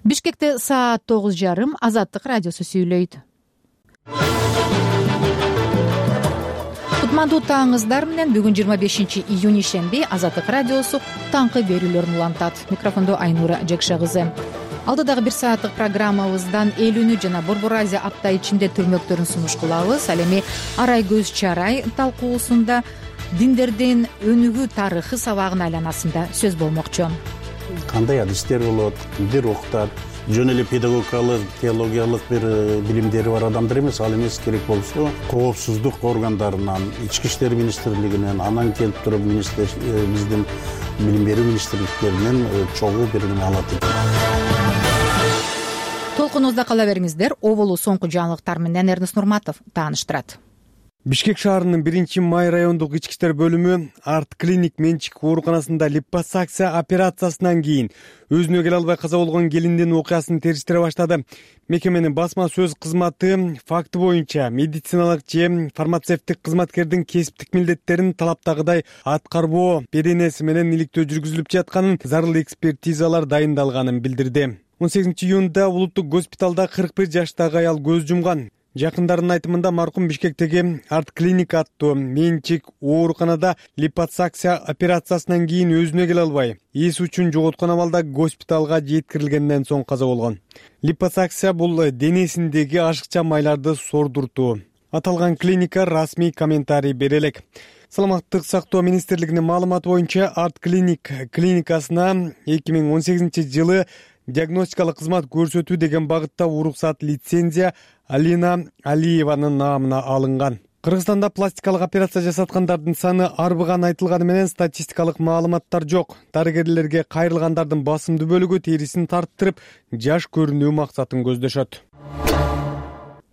Бишкекте саат 9:30. Азаттык радиосу сүйлөйт. Кутмандуу таңыңыздар менен бүгүн 25-июнь ишемби Азаттык радиосу таңкы берүүлөрүн улантат. Микрофондо Айнура Жекше кызы. Алдыдагы 1 сааттык программабыздан эл үнү жана Борбор Азия апта ичинде түрмөктөрүн сунуш кылабыз. Ал эми Арай көз чарай талкуусунда диндердин өнүгүү тарыхы сабагына айланасында сөз болмокчу. Кандай адистер болот, кимдер окутат, жөн эле педагогикалык, теологиялык бир билимдери бар адамдар эмес, ал эмес, керек болсо коопсуздук органдарынан, ички иштер министрлигинен, анан келип туруп биздин билим берүү министрликтеринен чогуу бир эме алат. Толкунубузда кала бериңиздер. Оболу соңку жаңылыктар менен Эрнест Нурматов тааныштырат. Бишкек шаарынын 1-май райондук ички иштер бөлүмү арт клиник менчик ооруканасында липосакция операциясынан кийин өзүнө келе албай каза болгон келиндин окуясын териштире баштады. Мекеменин басма сөз кызматы факты боюнча медициналык же фармацевттик кызматкердин кесиптик милдеттерин талаптагыдай аткарбоо беренеси менен иликтөө жүргүзүлүп жатканын, зарыл экспертизалар дайындалганын билдирди. 18-июнда улуттук госпиталда 41 жаштагы аял көз жумган. Жакындарынын айтымында маркум Бишкектеги арт клиник аттуу менчик ооруканада липосакция операциясынан кийин өзүнө келе албай, эс үчүн жоготкон абалда госпиталга жеткирилгенден соң каза болгон. Липосакция бул денесиндеги ашыкча майларды сордуртуу. Аталган клиника расмий комментарий бере элек. Саламаттык сактоо министрлигинин маалыматы боюнча арт клиникасына 2018-жылы диагностикалык кызмат көрсөтүү деген багытта уруксат лицензия Алина Алиеванын наамына алынган. Кыргызстанда пластикалык операция жасаткандардын саны арбыган айтылганы менен статистикалык маалыматтар жок. Дарыгерлерге кайрылгандардын басымдуу бөлүгү терисин тарттырып, жаш көрүнүү максатын көздөшөт.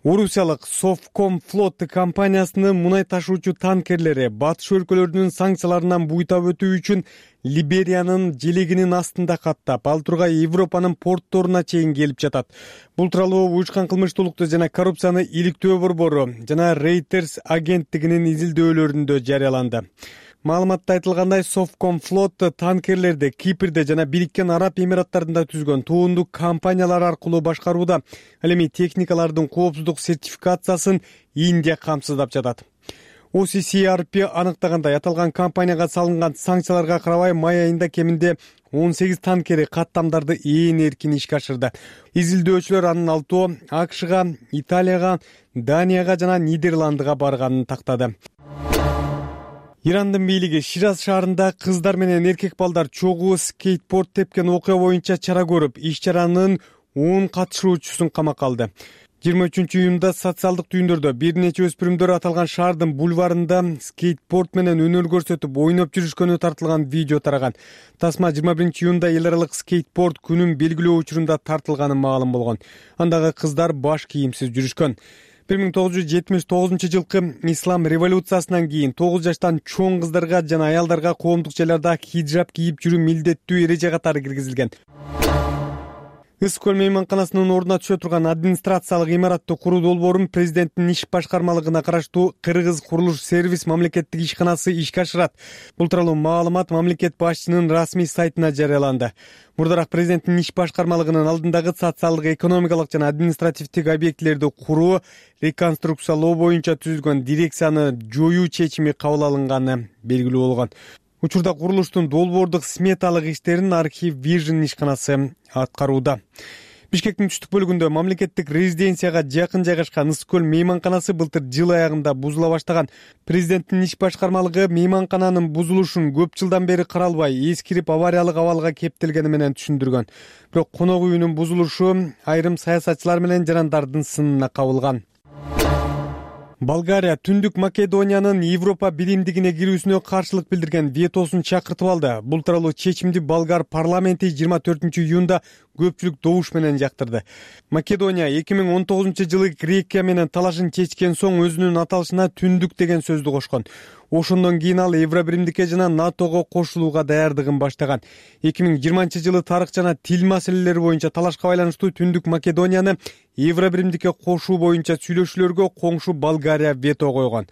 Орусиялык Совкомфлот компаниясынын мунай ташуучу танкерлери батыш өлкөлөрүнүн санкцияларынан буйтап өтүү үчүн Либериянын желегинин астында каттап, ал тургай Европанын портторуна чейин келип жатат. Бул тууралуу уюшкан кылмыштуулукту жана коррупцияны иликтөө борбору жана Reuters агенттигинин изилдөөлөрүндө жарыяланды. Маалыматта айтылгандай, Совкомфлот танкерлерди Кипрде жана Бириккен Араб Эмираттарында түзгөн туундук компаниялар аркылуу башкарууда. Ал эми техникалардын коопсуздук сертификациясын Индия камсыздап жатат. OCCRP аныктагандай, аталган компанияга салынган санкцияларга карабай май айында кеминде 18 танкери каттамдарды ээн эркин ишке ашырды. Изилдөөчүлөр анын 6 АКШга, Италияга, Данияга жана Нидерландыга барганын тактады. Ирандын бийлиги Шираз шаарында кыздар менен эркек балдар чогуу скейтборд тепкен окуя боюнча чара көрүп, иш-чаранын 10 катышуучусун камакка алды. 23-июнда социалдык түйүндөрдө бир нече өспүрүмдөр аталган шаардын бульварында скейтборд менен өнөр көрсөтүп ойноп жүрүшкөнү тартылган видео тараган. Тасма 21-июнда эл аралык скейтборд күнүн белгилөө учурунда тартылганы маалым болгон. Андагы кыздар баш кийимсиз жүрүшкөн. 1979-жылкы ислам революциясынан кийин 9 жаштан чоң кыздарга жана аялдарга коомдук жайларда хиджаб кийип жүрүү милдеттүү эреже катары киргизилген. Ысык көл мейманканасынын ордуна түшө турган администрациялык имаратты куруу долбоорун президенттин иш башкармалыгына караштуу Кыргыз курулуш сервис мамлекеттик ишканасы ишке ашырат. Бул тууралуу маалымат мамлекет башчынын расмий сайтына жарыяланды. Мурдараак президенттин иш башкармалыгынын алдындагы социалдык, экономикалык жана административдик объектилерди куруу, реконструкциялоо боюнча түзүлгөн дирекцияны жоюу чечими кабыл алынганы белгилүү болгон. Учурда курулуштун долбоордук сметалык иштерин архив Vision ишканасы аткарууда. Бишкектин түштүк бөлүгүндө мамлекеттик резиденцияга жакын жайгашкан Ысык көл мейманканасы былтыр жыл аягында бузула баштаган. Президенттин иш башкармалыгы мейманкананын бузулушун көп жылдан бери каралбай, эскирип авариялык абалга кептелгени менен түшүндүргөн. Бирок конок үйүнүн бузулушу айрым саясатчылар менен жарандардын сынына кабылган. Болгария Түндүк Македониянын Европа биримдигине кирүүсүнө каршылык билдирген ветосун чакыртып алды. Бул тууралуу чечимди болгар парламенти 24-июнда көпчүлүк добуш менен жактырды. Македония 2019-жылы Грекия менен талашын чечкен соң өзүнүн аталышына Түндүк деген сөздү кошкон. Ошондон кийин ал Евробиримдикке жана НАТОго кошулууга даярдыгын баштаган. 2020-жылы тарых жана тил маселелери боюнча талашка байланыштуу Түндүк Македонияны Евробиримдикке кошуу боюнча сүйлөшүүлөргө коңшу Болгария вето койгон.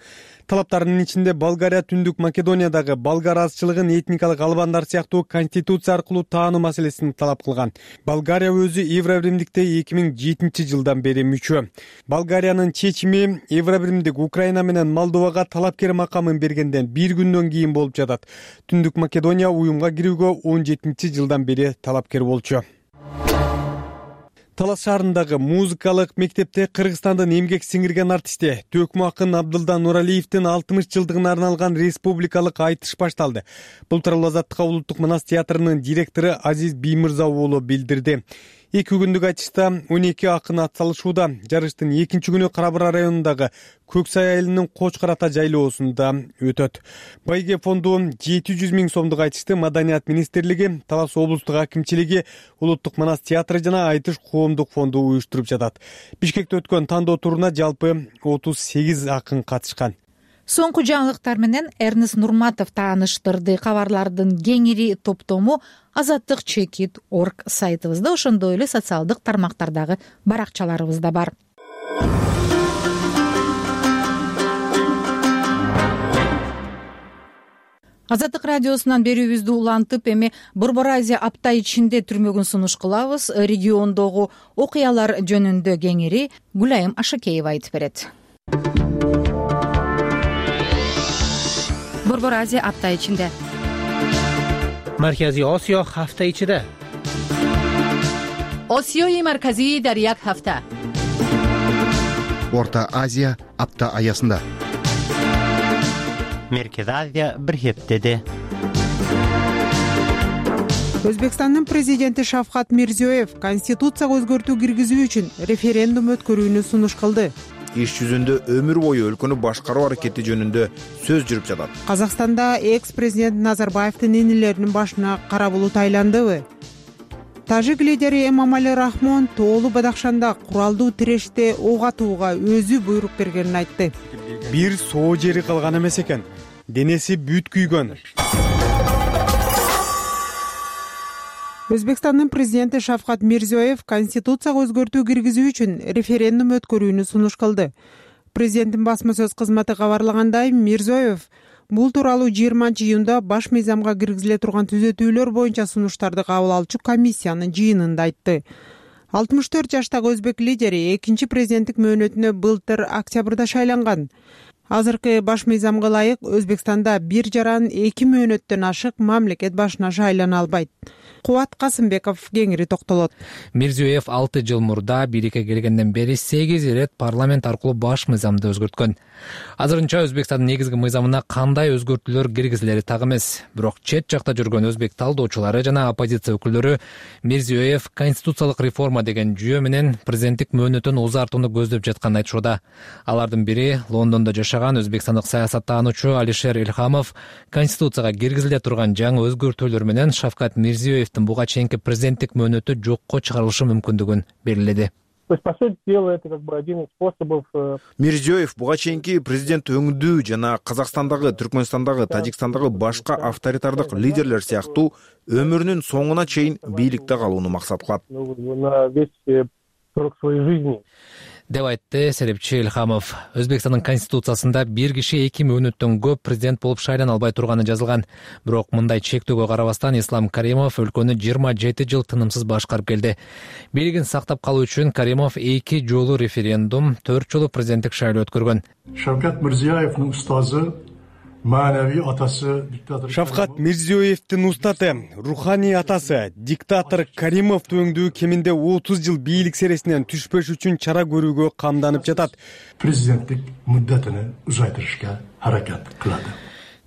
талаптарынын ичинде Болгария Түндүк Македониядагы болгар азчылыгын этникалык албандар сыяктуу конституция аркылуу таануу маселесин талап кылган. Болгария өзү Евробиримдикте 2007 жылдан бери мүчө. Болгариянын чечими Евробиримдик Украина менен Молдовага талапкер макамын бергенден бир күндөн кийин болуп жатат. Түндүк Македония уюмга кирүүгө 17 жылдан бери талапкер болчу. Талас шаарындагы музыкалык мектепте Кыргызстандын эмгек сиңирген артисти Төкмө акын Абдылда Нуралиевдин 60 жылдыгына арналган республикалык айтыш башталды. Бул тууралуу Азаттыкка Улуттук Манас театрынын директору Азиз Биймырза уулу билдирди. 2 күндүк айтышта 12 акын атсалышууда. Жарыштын 2-чү күнү Кара-Бура районундагы Көксай айылынын Кочкор ата жайлоосунда өтөт. Байге фонду 700 000 сомдук айтышты Маданият министрлиги, Талас облустук акимчилиги, Улуттук Манас театры жана Айтыш коомдук фонду уюштуруп жатат. Бишкекте өткөн тандоо туруна жалпы 38 акын катышкан. Соңку жаңылыктар менен Эрнест Нурматов тааныштырды. Кабарлардын кеңири топтому azattik.org сайтыбызда, ошондой эле социалдык тармактардагы баракчаларыбызда бар. Азаттык радиосунан берүүбүздү улантып, эми Борбор Азия апта ичинде түрмөгүн сунуш кылабыз. Региондогу окуялар жөнүндө кеңири Гүлайым Ашакеева айтып берет. Борбор Азия апта ичинде. Маркази Осиё ҳафта ичида. Осиёи марказии дар як ҳафта. Орта Азия апта аясында. Меркез Азия бир хептеде. Өзбекстандын президенти Шавкат Мирзиёев конституцияга өзгөртүү киргизүү үчүн референдум өткөрүүнү сунуш кылды. Иш жүзүндө өмүр бою өлкөнү башкаруу аракети жөнүндө сөз жүрүп жатат. Казакстанда экс-президент Назарбаевдин инилеринин башына кара булут айландыбы? Тажик лидери Эмомали Рахмон Тоолу Бадахшанда куралдуу тиреште ок атууга өзү буйрук бергенин айтты. Бир соо жери калган эмес экен. Денеси бүт күйгөн. Өзбекстандын президенти Шавкат Мирзиёев конституцияга өзгөртүү киргизүү үчүн референдум өткөрүүнү сунуш кылды. Президенттин басма сөз кызматы кабарлагандай, Мирзиёев бул тууралуу 20-июнда баш мыйзамга киргизиле турган түзөтүүлөр боюнча сунуштарды кабыл алчу комиссиянын жыйынында айтты. 64 жаштагы өзбек лидери 2-чи президенттик мөөнөтүнө былтыр октябрда шайланган. Азыркы баш мыйзамга ылайык Өзбекстанда 1,5-2 мөөнөттөн ашык мамлекет башына шайлана албайт. Кубат Касымбеков кеңири токтолот. Мирзиёев 6 жыл мурда бийликке келгенден бери 8 ирет парламент аркылуу баш мыйзамды өзгөрткөн. Азырынча Өзбекстандын негизги мыйзамына кандай өзгөртүүлөр киргизилери так эмес. Бирок чет жакта жүргөн өзбек талдоочулары жана оппозиция өкүлдөрү Мирзиёев конституциялык реформа деген жүйө менен президенттик мөөнөтүн узартууну көздөп жатканын айтышууда. Алардын бири Лондондо жашаган өзбекстандык саясаттануучу Алишер Илхамов конституцияга киргизиле турган жаңы өзгөртүүлөр менен Шавкат Мирзиёевдин буга чейинки президенттик мөөнөтү жокко чыгарылышы мүмкүндүгүн белгиледи. Мирзиёев буга чейинки президент өңдүү жана Казакстандагы, Түркмөнстандагы, Тажикстандагы башка авторитардык лидерлер сыяктуу өмүрүнүн соңуна чейин бийликте калууну максат кылат деп айтты серепчи Илхамов. Өзбекстандын конституциясында бир киши 2 мөөнөттөн көп президент болуп шайлана албай турганы жазылган. Бирок мындай чектөөгө карабастан Ислам Каримов өлкөнү 27 жыл тынымсыз башкарып келди. Бийлигин сактап калуу үчүн Каримов 2 жолу референдум, 4 жолу президенттик шайлоо өткөргөн. Шавкат Мирзиёевдин устазы, маанавий атасы диктатор Шавкат Мирзиёевдин устаты, руханий атасы диктатор Каримов өңдүү кеминде 30 жыл бийлик сересинен түшпөш үчүн чара көрүүгө камданып жатат. Президенттик муддатыны узайтырышка аракет кылады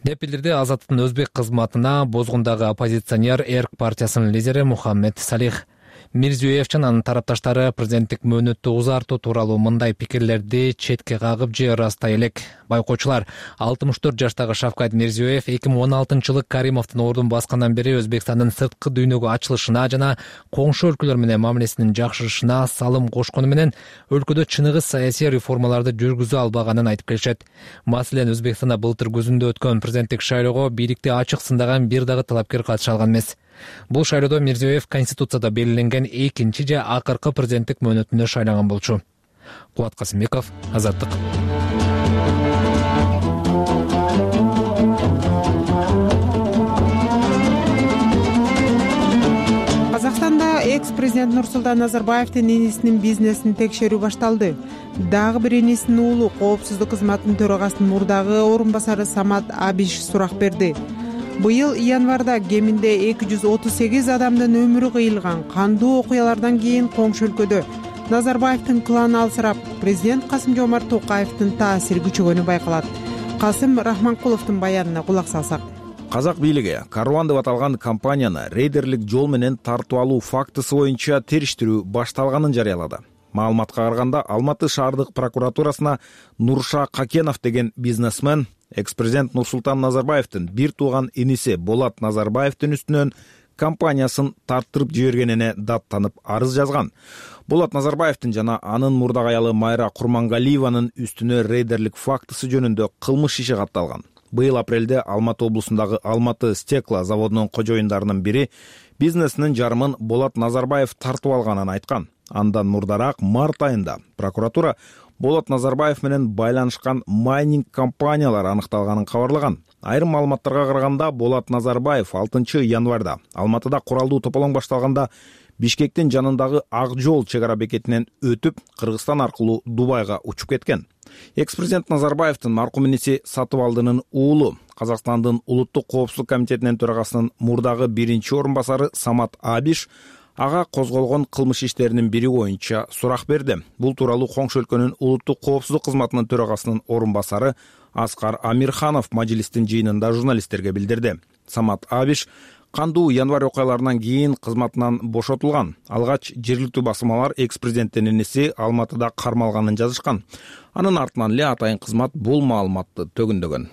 деп билдирди Азаттыктын өзбек кызматына Бозгундагы оппозиционер Эрк партиясынын лидери Мухаммед Салих. Мирзиёев жана анын тарапташтары президенттик мөөнөттү узартуу тууралуу мындай пикирлерди четке кагып же ырастай элек. Байкоочулар 64 жаштагы Шавкат Мирзиёев 2016-жылы Каримовдун ордун баскандан бери Өзбекстандын сырткы дүйнөгө ачылышына жана коңшу өлкөлөр менен мамилесинин жакшырышына салым кошкону менен өлкөдө чыныгы саясий реформаларды жүргүзө албаганын айтып келишет. Маселен, Өзбекстанда былтыр күзүндө өткөн президенттик шайлоого бийликти ачык сындаган бир дагы талапкер катыша алган эмес. Бул шайлоодо Мирзиёев конституцияда белгиленген 2-чи же акыркы президенттик мөөнөтүнө шайланган болчу. Кубат Касымбеков, Азаттык. экс президент Нурсултан Назарбаевдин инисинин бизнесин текшерүү башталды. Дагы бир инисинин уулу коопсуздук кызматынын төрагасынын мурдагы орун басары Самат Абиш сурак берди. Быйыл январда кеминде 238 адамдын өмүрү кыйылган кандуу окуялардан кийин коңшу өлкөдө Назарбаевдин кланы алсырап, президент Касым-Жомарт Токаевдин таасири күчөгөнү байкалат. Касым Рахманкуловдун баянына кулак салсак. Казак бийлиги Карван деп аталган компанияны рейдерлик жол менен тартып алуу фактысы боюнча териштирүү башталганын жарыялады. Маалыматка караганда Алматы шаардык прокуратурасына Нурша Какенов деген бизнесмен экс-президент Нурсултан Назарбаевдин бир тууган иниси Болат Назарбаевдин үстүнөн компаниясын тарттырып жибергенине даттанып арыз жазган. Болат Назарбаевдин жана анын мурдак аялы Майра Курмангалиеванын үстүнө рейдерлик фактысы жөнүндө кылмыш иши катталган. Быйыл апрелде Алматы облусундагы Алматы стекло заводунун кожоюндарынын бири бизнесинин жарымын Болат Назарбаев тартып алганын айткан. Андан мурдараак март айында прокуратура Болат Назарбаев менен байланышкан майнинг компаниялар аныкталганын кабарлаган. Айрым маалыматтарга караганда Болат Назарбаев 6 январда Алматыда куралдуу тополоң башталганда Бишкектин жанындагы Ак жол чек ара бекетинен өтүп, Кыргызстан аркылуу Дубайга учуп кеткен. Экс-президент Назарбаевдин маркум иниси Сатыбалдынын уулу Казакстандын Улуттук коопсуздук комитетинин төрагасынын мурдагы биринчи орун басары Самат Абиш ага козголгон кылмыш иштеринин бири боюнча сурак берди. Бул тууралуу коңшу өлкөнүн Улуттук коопсуздук кызматынын төрагасынын орун басары Аскар Амирханов мажлистин жыйынында журналисттерге билдирди. Самат Абиш кандуу январь окуяларынан кийин кызматынан бошотулган. Алгач жергиликтүү басылмалар экс-президенттин иниси Алматыда кармалганын жазышкан. Анын артынан эле атайын кызмат бул маалыматты төгүндөгөн.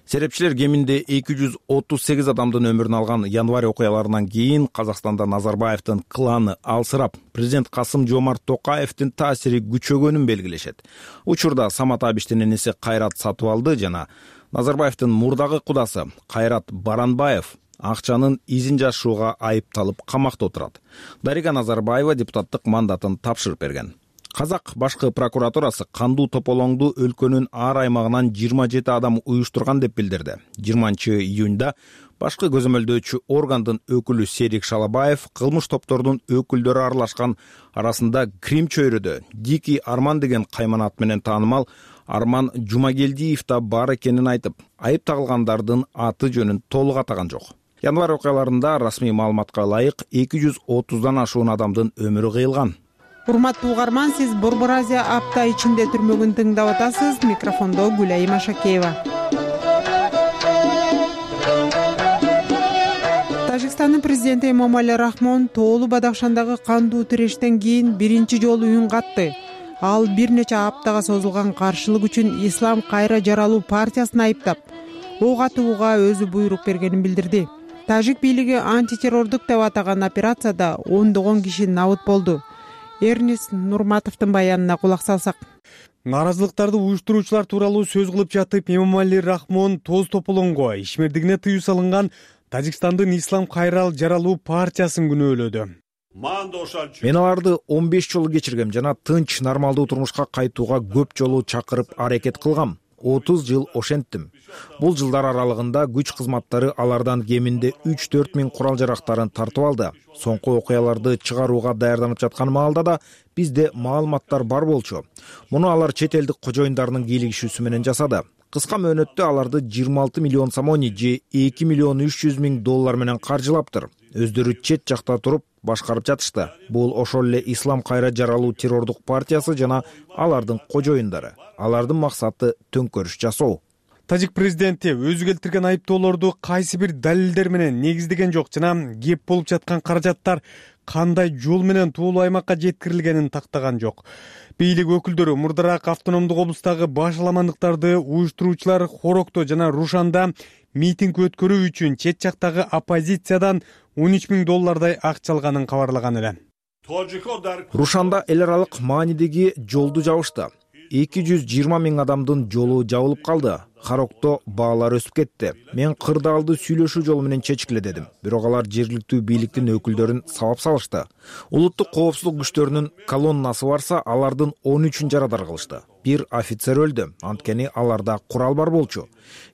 Серепчилер кеминде 238 адамдын өмүрүн алган январь окуяларынан кийин Казакстанда Назарбаевдин кланы алсырап, президент Касым-Жомарт Токаевдин таасири күчөгөнүн белгилешет. Учурда Самат Абиштин иниси Кайрат Сатыбалды жана Назарбаевдин мурдагы кудасы Кайрат Баранбаев акчанын изин жашууга айыпталып камакта отурат. Дарига Назарбаева депутаттык мандатын тапшырып берген. Казак башкы прокуратурасы кандуу тополоңду өлкөнүн ар аймагынан 27 адам уюштурган деп билдирди. 20 июнда башкы көзөмөлдөөчү органдын өкүлү Серик Шалабаев кылмыш топтордун өкүлдөрү аралашкан арасында Крим чөйрөдө Дикий Арман деген кайманат менен таанымал Арман Жумагелдиев да бар экенин айтып, айып тагылгандардын аты жөнүн толук атаган жок. Январь окуяларында расмий маалыматка ылайык 230дан ашуун адамдын өмүрү кыйылган. Урматтуу угарман, сиз Борбор Азия апта ичинде түрмөгүн тыңдап атасыз. Микрофондо Гүлайым Ашакеева. Тажикстандын президенти Эмомали Рахмон Тоолу Бадахшандагы кандуу тирештен кийин биринчи жолу үн катты. Ал бир нече аптага созулган каршылык үчүн Ислам кайра жаралуу партиясын айыптап, ок атууга өзү буйрук бергенин билдирди. Тажик бийлиги антитеррордук деп атаган операцияда ондогон киши набыт болду. Эрнис Нурматовдун баянына кулак салсак. Нааразылыктарды уюштуруучулар тууралуу сөз кылып жатып, Эмомали Рахмон тоз тополоңго ишмердигине тыюу салынган Тажикстандын Ислам кайра жаралуу партиясын күнөөлөдү. Мен аларды 15 жолу кечиргем жана тынч, нормалдуу турмушка кайтууга көп жолу чакырып аракет кылгам. 30 жыл ошенттим. Бул жылдар аралыгында күч кызматтары алардан кеминде 3-4 миң курал жарактарын тартып алды. Соңку окуяларды чыгарууга даярданып жаткан маалда да бизде маалыматтар бар болчу. Муну алар чет элдик кожоюндарынын кийлигишүүсү менен жасады. Кыска мөөнөттө аларды 26 миллион сомони же 2 миллион 300 миң доллар менен каржылаптыр. Өздөрү чет жакта туруп башкарып жатышты. Бул ошол эле Ислам кайра жаралуу террордук партиясы жана алардын кожоюндары. Алардын максаты төңкөрүш жасоо. Тажик президенти өзү келтирген айыптоолорду кайсы бир далилдер менен негиздеген жок жана кеп болуп жаткан каражаттар кандай жол менен Тоолу аймакка жеткирилгенин тактаган жок. Бийлик өкүлдөрү мурдараак автономдук облустагы башаламандыктарды уюштуруучулар Хорокто жана Рушанда митинг өткөрүү үчүн чет жактагы оппозициядан 13 миң доллардай акча алганын кабарлаган эле. Рушанда эл аралык маанидеги жолду жабышты. 220 миң адамдын жолу жабылып калды. Харокто баалар өсүп кетти. Мен кырдаалды сүйлөшүү жолу менен чечкиле дедим. Бирок алар жергиликтүү бийликтин өкүлдөрүн сабап салышты. Улуттук коопсуздук күчтөрүнүн колоннасы барса, алардын 13-ün жарадар кылышты. Бир офицер өлдү. Анткени аларда курал бар болчу.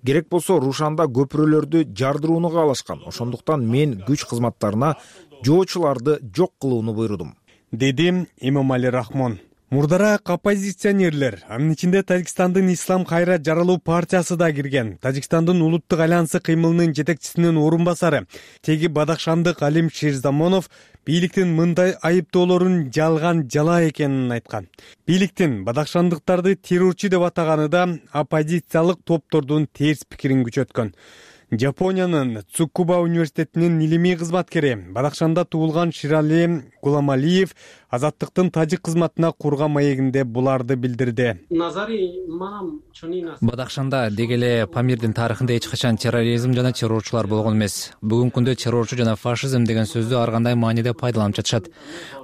Керек болсо Рушанда көпүрөлөрдү жардырууну каалашкан. Ошондуктан мен күч кызматтарына жоочуларды жок кылууну буйрудум, деди Эмомали Рахмон. Мурдараак оппозиционерлер, анын ичинде Тажикстандын Ислам Кайрат жаралуу партиясы да кирген. Тажикстандын улуттук альянсы кыймылынын жетекчисинин орун басары теги бадахшандык Алим Шерзамонов бийликтин мындай айыптоолорун жалган жала экенин айткан. Бийликтин бадахшандыктарды террорчу деп атаганы да оппозициялык топтордун терс пикирин күчөткөн. Жапониянын Цукуба университетинин илимий кызматкери, Бадахшанда туулган Ширали Гуламалиев азаттыктын тажик кызматына курган маегинде буларды билдирди. Бадахшанда деги эле Памирдин тарыхында эч качан терроризм жана террорчулар болгон эмес. Бүгүнкү күндө террорчу жана фашизм деген сөздү ар кандай мааниде пайдаланып жатышат.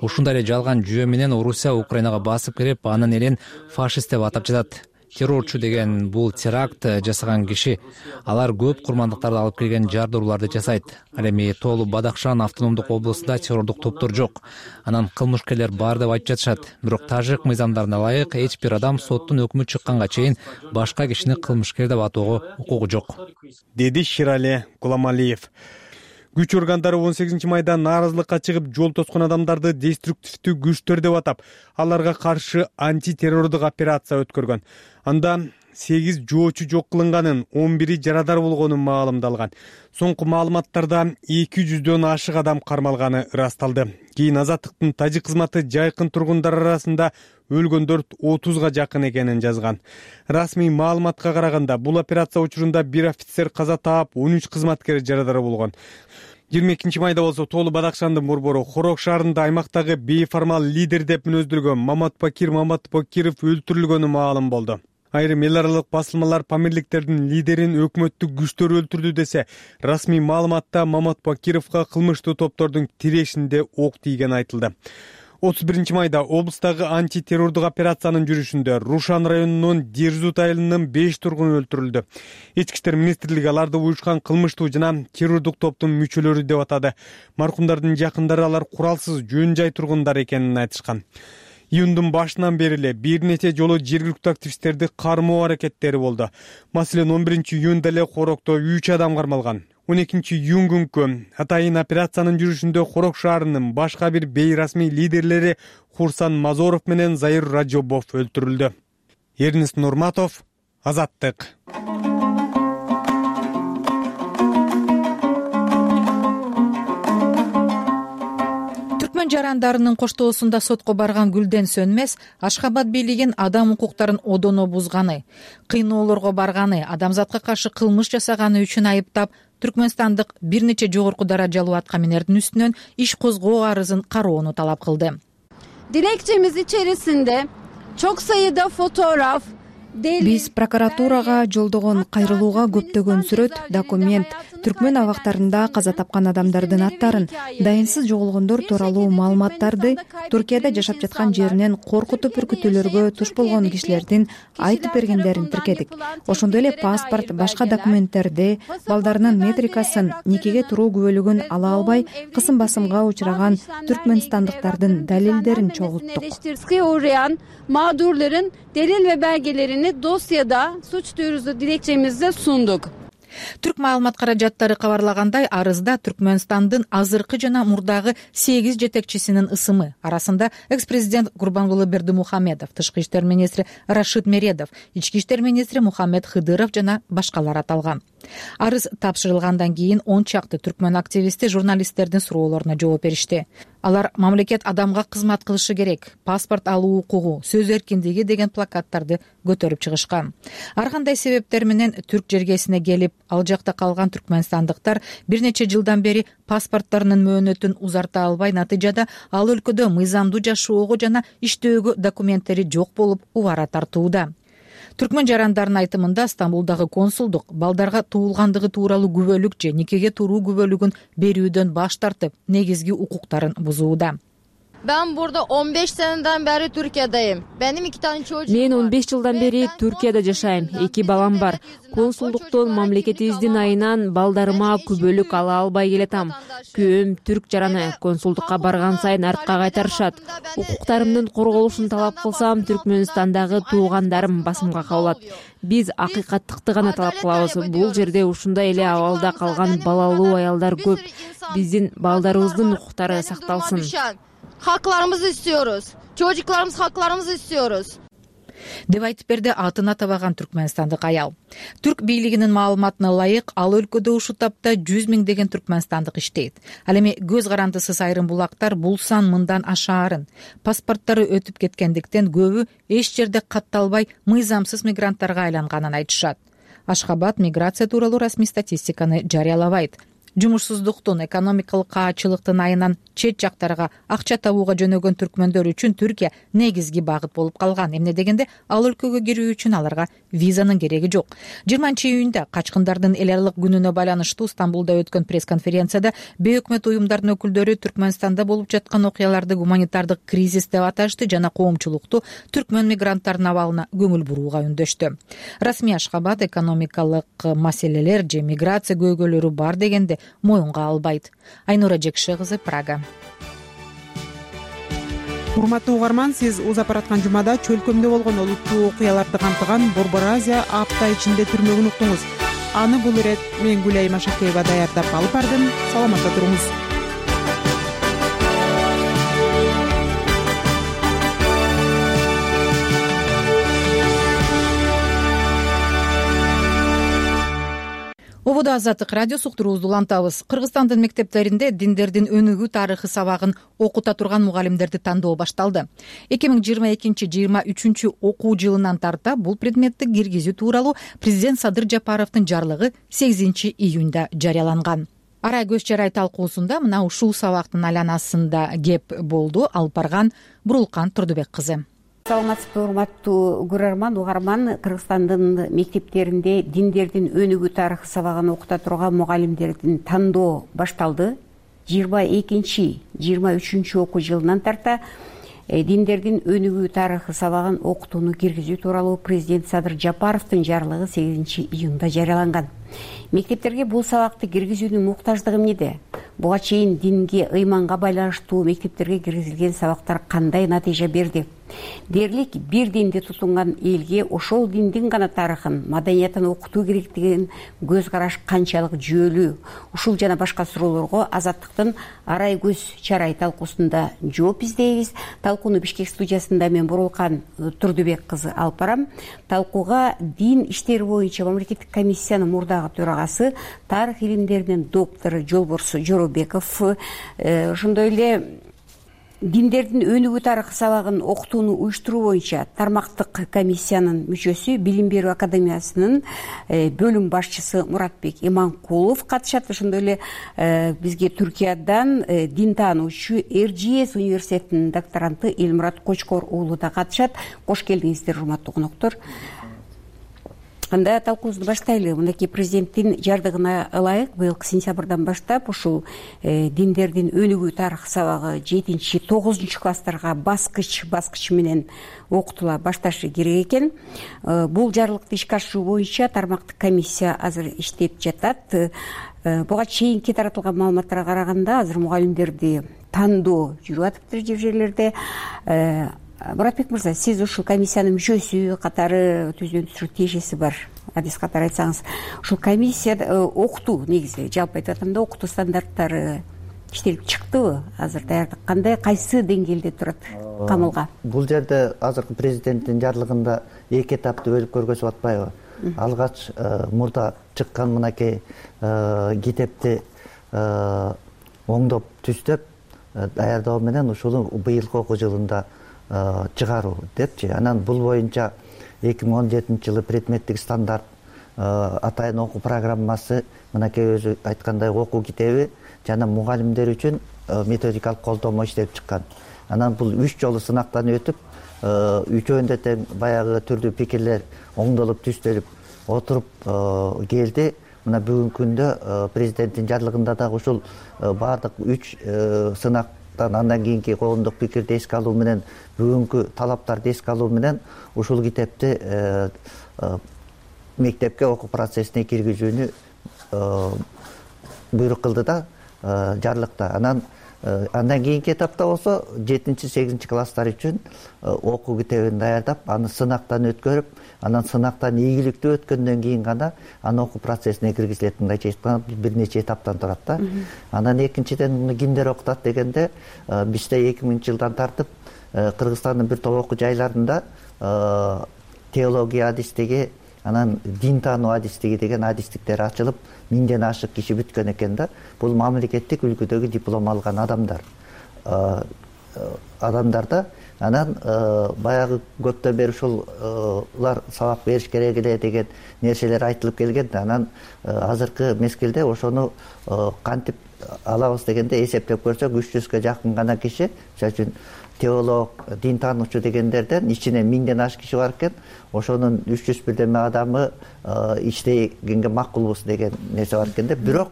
Ушундай эле жалган жүйө менен Орусия Украинага басып кирип, анын элин фашист деп атап жатат. Террорчу деген бул теракт жасаган киши. Алар көп курмандыктарды алып келген жардырууларды жасайт. Ал эми Тоолу Бадахшан автономдук облусунда террордук топтор жок. Анан кылмышкерлер бар деп айтып жатышат. Бирок тажик мыйзамдарына ылайык эч бир адам соттун өкмү чыкканга чейин башка кишини кылмышкер деп атоого укугу жок, деди Ширали Гуламалиев. Күч органдары 18 майда нааразылыкка чыгып, жол тоскон адамдарды деструктивдүү күчтөр деп атап, аларга каршы антитеррордук операция өткөргөн. Анда 8 жоочу жок кылынганын, 11 жарадар болгонун маалымдалган. Соңку маалыматтарда 200дөн ашык адам кармалганы ырасталды. Кийин азаттыктын тажик кызматы жайкын тургундар арасында өлгөндөр 30га жакын экенин жазган. Расмий маалыматка караганда, бул операция учурунда 1 офицер каза таап, 13 кызматкер жарадар болгон. 22 майда болсо Тоолу Бадахшандын борбору Хорок шаарында аймактагы бейформал лидер деп мүнөздөлгөн Маматбакир Маматбакиров өлтүрүлгөнү маалым болду. Айрым эл аралык басылмалар Памирликтердин лидерин өкмөттүк күчтөр өлтүрдү десе, расмий маалыматта Маматбакировго кылмыштуу топтордун тирешинде ок тийгени айтылды. 31 майда облустагы антитеррордук операциянын жүрүшүндө Рушан районунун Дерзут айылынын 5 тургуну өлтүрүлдү. Ички иштер министрлиги аларды уюшкан кылмыштуу жана террордук топтун мүчөлөрү деп атады. Маркумдардын жакындары алар куралсыз жөн жай тургундар экенин айтышкан. Июндун башынан бери эле бир нече жолу жергиликтүү активисттерди кармоо аракеттери болду. Маселен, 11 июнда эле Хорокто 3 адам кармалган. 12 июн күнкү атайын операциянын жүрүшүндө Хорок шаарынын башка бир бейрасмий лидерлери Хурсан Мазоров менен Заир Раджобов өлтүрүлдү. Эрнест Нурматов, Азаттык. Түркмөн жарандарынын коштоосунда сотко барган Гүлден Сөнмес Ашхабад бийлигин адам укуктарын одоно бузганы, кыйноолорго барганы, адамзатка каршы кылмыш жасаганы үчүн айыптап, түркмөнстандык бир нече жогорку даражалуу аткаминердин үстүнөн иш козгоо арызын кароону талап кылды. Dilekçemiz içerisinde çok sayıda fotoğraf, Биз прокуратурага жолдогон кайрылууга көптөгөн сүрөт, документ, түркмөн абактарында каза тапкан адамдардын аттарын, дайынсыз жоголгондор тууралуу маалыматтарды, Туркияда жашап жаткан жеринен коркутуп үркүтүүлөргө туш болгон кишилердин айтып бергендерин тиркедик. Ошондой эле паспорт, башка документтерди, балдарынын метрикасын, никеге туруу күбөлүгүн ала албай, кысым басымга учураган түркмөнстандыктардын далилдерин чогулттук. Mağdurların delil ve belgelerini dosyada suç duyurusu dilekçemizde sunduk. Түрк маалымат каражаттары кабарлагандай, арызда Түркмөнстандын азыркы жана мурдагы 8 жетекчисинин ысымы, арасында экс-президент Гурбангулы Бердимухамедов, тышкы иштер министри Рашид Мередов, ички иштер министри Мухаммед Хыдыров жана башкалар аталган. Арыз тапшырылгандан кийин 10 чакты түркмөн активисти журналисттердин суроолоруна жооп беришти. Алар мамлекет адамга кызмат кылышы керек, паспорт алуу укугу, сөз эркиндиги деген плакаттарды көтөрүп чыгышкан. Ар кандай себептер менен түрк жергесине келип, ал жакта калган түркмөнстандыктар бир нече жылдан бери паспорттарынын мөөнөтүн узарта албай, натыйжада ал өлкөдө мыйзамдуу жашоого жана иштөөгө документтери жок болуп убара тартууда. Түркмөн жарандарынын айтымында Стамбулдагы консулдук балдарга туулгандыгы тууралуу күбөлүк же никеге туруу күбөлүгүн берүүдөн баш тартып, негизги укуктарын бузууда. Ben burada 15 seneden beri Türkiye'deyim. Benim 2 tane çocuğum var. Мен 15 жылдан бери Түркияда жашайм. 2 балам бар. Консулдуктун мамлекетибиздин айынан балдарыма күбөлүк ала албай келатам. Күйөөм түрк жараны. Консулдукка барган сайын артка кайтарышат. Укуктарымдын корголушун талап кылсам, Түркмөнстандагы туугандарым басымга кабылат. Биз акыйкаттыкты гана талап кылабыз. Бул жерде ушундай эле абалда калган балалуу аялдар көп. Биздин балдарыбыздын укуктары сакталсын. Haklarımızı istiyoruz. Çocuklarımız haklarımızı istiyoruz. деп айтып берди атын атабаган түркмөнстандык аял. Түрк бийлигинин маалыматына ылайык, ал өлкөдө ушул тапта 100 миңдеген түркмөнстандык иштейт. Ал эми көз карандысыз айрым булактар бул сан мындан ашаарын. Паспорттары өтүп кеткендиктен көбү эч жерде катталбай мыйзамсыз мигранттарга айланганын айтышат. Ашхабад миграция тууралуу расмий статистиканы жарыялабайт. Жумушсуздуктун, экономикалык каачылыктын айынан чет жактарга акча табууга жөнөгөн түркмөндөр үчүн Түркия негизги багыт болуп калган. Эмне дегенде ал өлкөгө кирүү үчүн аларга визанын кереги жок. 20-июнда качкындардын эл аралык күнүнө байланыштуу Стамбулда өткөн пресс-конференцияда бейөкмөт уюмдардын өкүлдөрү Түркмөнстанда болуп жаткан окуяларды гуманитардык кризис деп аташты жана коомчулукту түркмөн мигранттарынын абалына көңүл бурууга үндөштү. Расмий Ашхабад экономикалык маселелер же миграция көйгөйлөрү бар дегенде моюнга албайт. Айнура Жекше кызы, Прага. Урматтуу угарман, сиз узап бараткан жумада чөлкөмдө болгон олуттуу окуяларды камтыган Борбор Азия апта ичинде түрмөгүн уктуңуз. Аны бул ирет мен Гүлай Машакеева даярдап алып бардым. Саламатта туруңуз. Ободо Азаттык радиосу уктуруубузду улантабыз. Кыргызстандын мектептеринде диндердин өнүгүү тарыхы сабагын окута турган мугалимдерди тандоо башталды. 2022-23 окуу жылынан тарта бул предметти киргизүү тууралуу президент Садыр Жапаровдун жарлыгы 8-июнда жарыяланган. Ара көз чарай талкуусунда мына ушул сабактын айланасында кеп болду. Алып барган Бурулкан Турдубек кызы. Саламатсызбы, урматтуу көрөрман, угарман. Кыргызстандын мектептеринде диндердин өнүгүү тарыхы сабагын окута турган мугалимдердин тандоо башталды. 22-23 окуу жылынан тарта диндердин өнүгүү тарыхы сабагын окутууну киргизүү тууралуу президент Садыр Жапаровдун жарлыгы 8-июнда жарыяланган. Мектептерге бул сабакты киргизүүнүн муктаждыгы эмнеде? Буга чейин динге, ыйманга байланыштуу мектептерге киргизилген сабактар кандай натыйжа берди? Дерлик бир динди тутунган элге ошол диндин гана тарыхын, маданиятын окутуу керек деген көз караш канчалык жүйөлүү? Ушул жана башка суроолорго Азаттыктын арай көз чарай талкуусунда жооп издейбиз. Талкууну Бишкек студиясында мен Бурулкан Турдубек кызы алып барам. Талкууга дин иштери боюнча мамлекеттик комиссиянын мурдагы төрагасы, тарых илимдеринин доктору Жолборсу Жоробеков, ошондой эле диндердин өнүгүү тарыхы сабагын окутууну уюштуруу боюнча тармактык комиссиянын мүчөсү, Билим берүү академиясынын бөлүм башчысы Муратбек Иманкулов катышат. Ошондой эле бизге Түркиядан дин таануучу РЖС университетинин докторанты Элмурат Кочкор уулу да катышат. Кош келдиңиздер, урматтуу коноктор. Анда талкуубузду баштайлы. Мынакей президенттин жардыгына ылайык быйылкы сентябрдан баштап ушул диндердин өнүгүү тарыхы сабагы 7-9 класстарга баскыч менен окутула башташы керек экен. Бул жарлыкты ишке ашыруу боюнча тармактык комиссия азыр иштеп жатат. Буга чейинки таратылган маалыматтарга караганда азыр мугалимдерди тандоо жүрүп атыптыр жер жерлерде. Муратбек мырза, сиз ушул комиссиянын мүчөсү катары түзүүнүн тиешеси бар. Адис катары айтсаңыз, ушул комиссия окутуу негизи жалпы айтып атканда окутуу стандарттары иштелип чыктыбы? Азыр даярдык кандай, кайсы деңгээлде турат камылга? Бул жерде азыркы президенттин жарлыгында эки этапты бөлүп көргөзүп атпайбы? Алгач мурда чыккан мынакей китепти оңдоп түздөп даярдоо менен ушуну быйылкы окуу жылында чыгаруу депчи. Анан бул боюнча 2017 жылы предметтик стандарт атайын окуу программасы, мынакей өзү айткандай окуу китеби жана мугалимдер үчүн методикалык колдомо иштеп чыккан. Анан бул 3 жолу сынактан өтүп, үчөөндө тең баягы түрдүү пикирлер оңдолуп түзтөлүп отуруп келди. Мына бүгүнкү күндө президенттин жарлыгында дагы ушул баардык 3 сынак андан кийинки коомдук пикирди эске алуу менен бүгүнкү талаптарды эске алуу менен ушул китепти мектепке окуу процессине киргизүүнү буйрук кылды да жарлыкта. Андан кийинки этапта болсо 7-8 класстар үчүн окуу китебин даярдап, аны сынактан өткөрүп, анан сынактан ийгиликтүү өткөндөн кийин гана аны окуу процессине киргизилет. Мындайча айтканда бир нече этаптан турат да. Анан экинчиден муну кимдер окутат дегенде, бизде 2000-жылдан тартып Кыргызстандын бир топ окуу жайларында теология адистиги, анан дин таануу адистиги деген адистиктер ачылып, 1000ден ашык киши бүткөн экен да. Бул мамлекеттик үлгүдөгү диплом алган адамдар да. Анан баягы көптөн бери ушулар сабак бериш керек эле деген нерселер айтылып келген. Анан азыркы мезгилде ошону кантип алабыз дегенде эсептеп көрсөк 300гө жакын гана киши, мисалы үчүн теолог, дин таануучу дегендерден ичинен 1000ден ашык киши бар экен. Ошонун 300 бирдеме адамы иштегенге макулбуз деген нерсе бар экен да. Бирок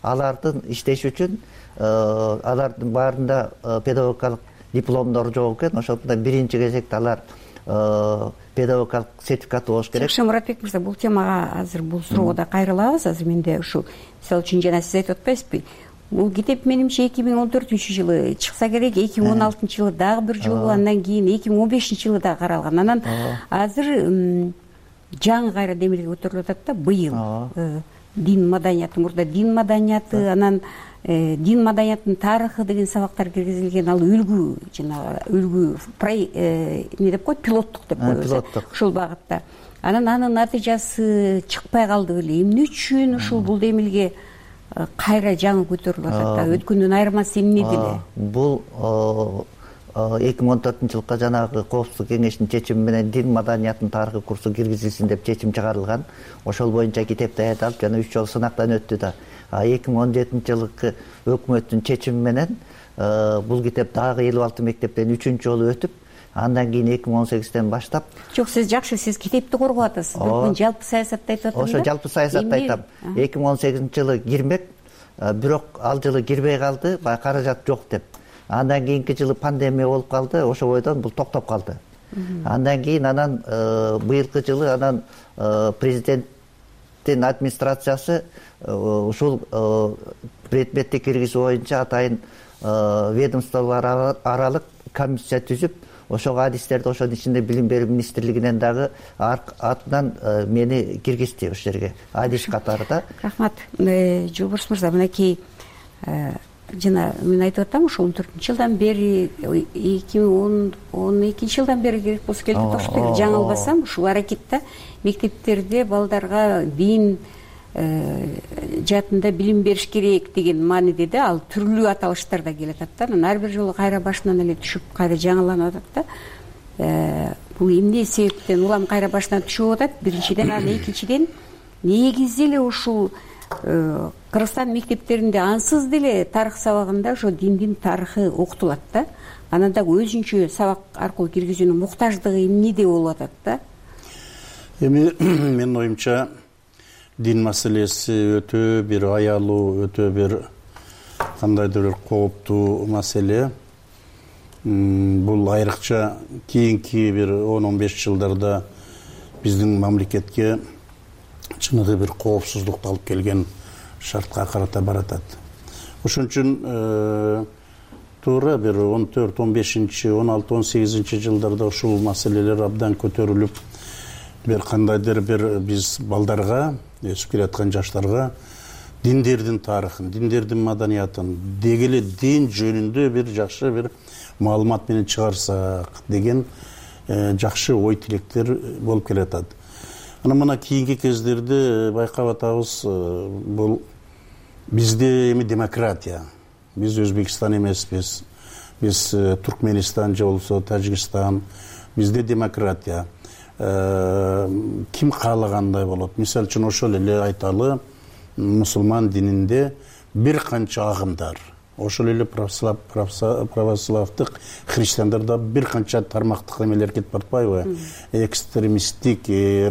алардын иштеш үчүн алардын баарында педагогикалык дипломдор жок экен. Ошондуктан биринчи кезекте алар педагогикалык сертификаты болуш керек. Жакшы, Муратбек мырза, бул темага азыр бул суроого да кайрылабыз. Азыр менде ушул мисалы үчүн жана сиз айтып атпайсызбы? Бул китеп менимче 2014-жылы чыкса керек, 2016-жылы дагы бир жолу, андан кийин 2015-жылы да каралган. Анан азыр жаңы кайра демилге көтөрүлүп атат да, быйыл дин маданияты, мурда дин маданияты, анан дин маданиятынын тарыхы деген сабактар киргизилген. Ал үлгү, жанагы үлгү эмне деп коет, пилоттук деп коебуз ушул багытта. Анан анын натыйжасы чыкпай калды беле. Эмне үчүн ушул бул демилге кайра жаңы көтөрүлүп атат да? Өткөндөн айырмасы эмне деле? Бул 2014-жылкы жанагы коопсуздук кеңешинин чечими менен дин маданиятынын тарыхы курсу киргизилсин деп чечим чыгарылган. Ошол боюнча китеп даярдалып, жана 3 жолу сынактан өттү да. 2017-жылкы өкмөттүн чечими менен бул китеп дагы 56 мектептен 3-чү жолу өтүп, андан кийин 2018-ден баштап. Жок, сиз жакшы, сиз китепти коргоп атасыз. Бирок жалпы саясатты айтып атам да. Ошо жалпы саясатты айтам. 2018-жылы кирмек, бирок ал жылы кирбей калды, баягы каражат жок деп. Андан кийинки жылы пандемия болуп калды, ошо бойдон бул токтоп калды. Андан кийин быйылкы жылы президенттин администрациясы ушул предметти киргизүү боюнча атайын ведомстволор аралык комиссия түзүп, ошого адистерди ошонун ичинде билим берүү министрлигинен дагы атынан мени киргизди ошол жерге адис катарында. Рахмат. Жолборс мырза, мынакей жана мен айтып атам, ошо 14-жылдан бери, 2012-жылдан бери керек болсо келип атат. Жаңылбасам, ушул аракетте мектептерде балдарга дин жаатында билим бериш керек деген мааниде да, ал түрлүү аталыштар да келип атат да. Анан ар бир жолу кайра башынан эле түшүп, кайра жаңыланып атат да. Бул эмне себептен улам кайра башынан түшүп атат? Биринчиден, анан экинчиден, негизи эле ушул Кыргызстан мектептеринде ансыз деле тарых сабагында ошо диндин тарыхы окутулат да. Анан дагы өзүнчө сабак аркылуу киргизүүнүн муктаждыгы эмнеде болуп атат да? Эми менин оюмча дин маселеси өтө бир аялуу, өтө бир кандайдыр бир кооптуу маселе. Бул айрыкча кийинки бир 10-15 жылдарда биздин мамлекетке чыныгы бир коопсуздукту алып келген шартка карата баратат. Ошон үчүн туура бир 14, 15, 16, 18 жылдарда ушул маселелер абдан көтөрүлүп, бир кандайдыр бир биз балдарга, өсүп келаткан жаштарга диндердин тарыхын, диндердин маданиятын, деги эле дин жөнүндө бир жакшы бир маалымат менен чыгарсак деген жакшы ой тилектер болуп келатат. Анан мына кийинки кездерде байкап атабыз, бул бизде эми демократия. Биз Өзбекстан эмеспиз. Биз Туркменистан же болсо Тажикстан. Бизде демократия. Ким каалагандай болот. Мисалы үчүн ошол эле айталы, мусулман дининде бир канча агымдар. Ошол эле православдык христиандарда бир канча тармактык эмелер кетип баратпайбы? Экстремисттик,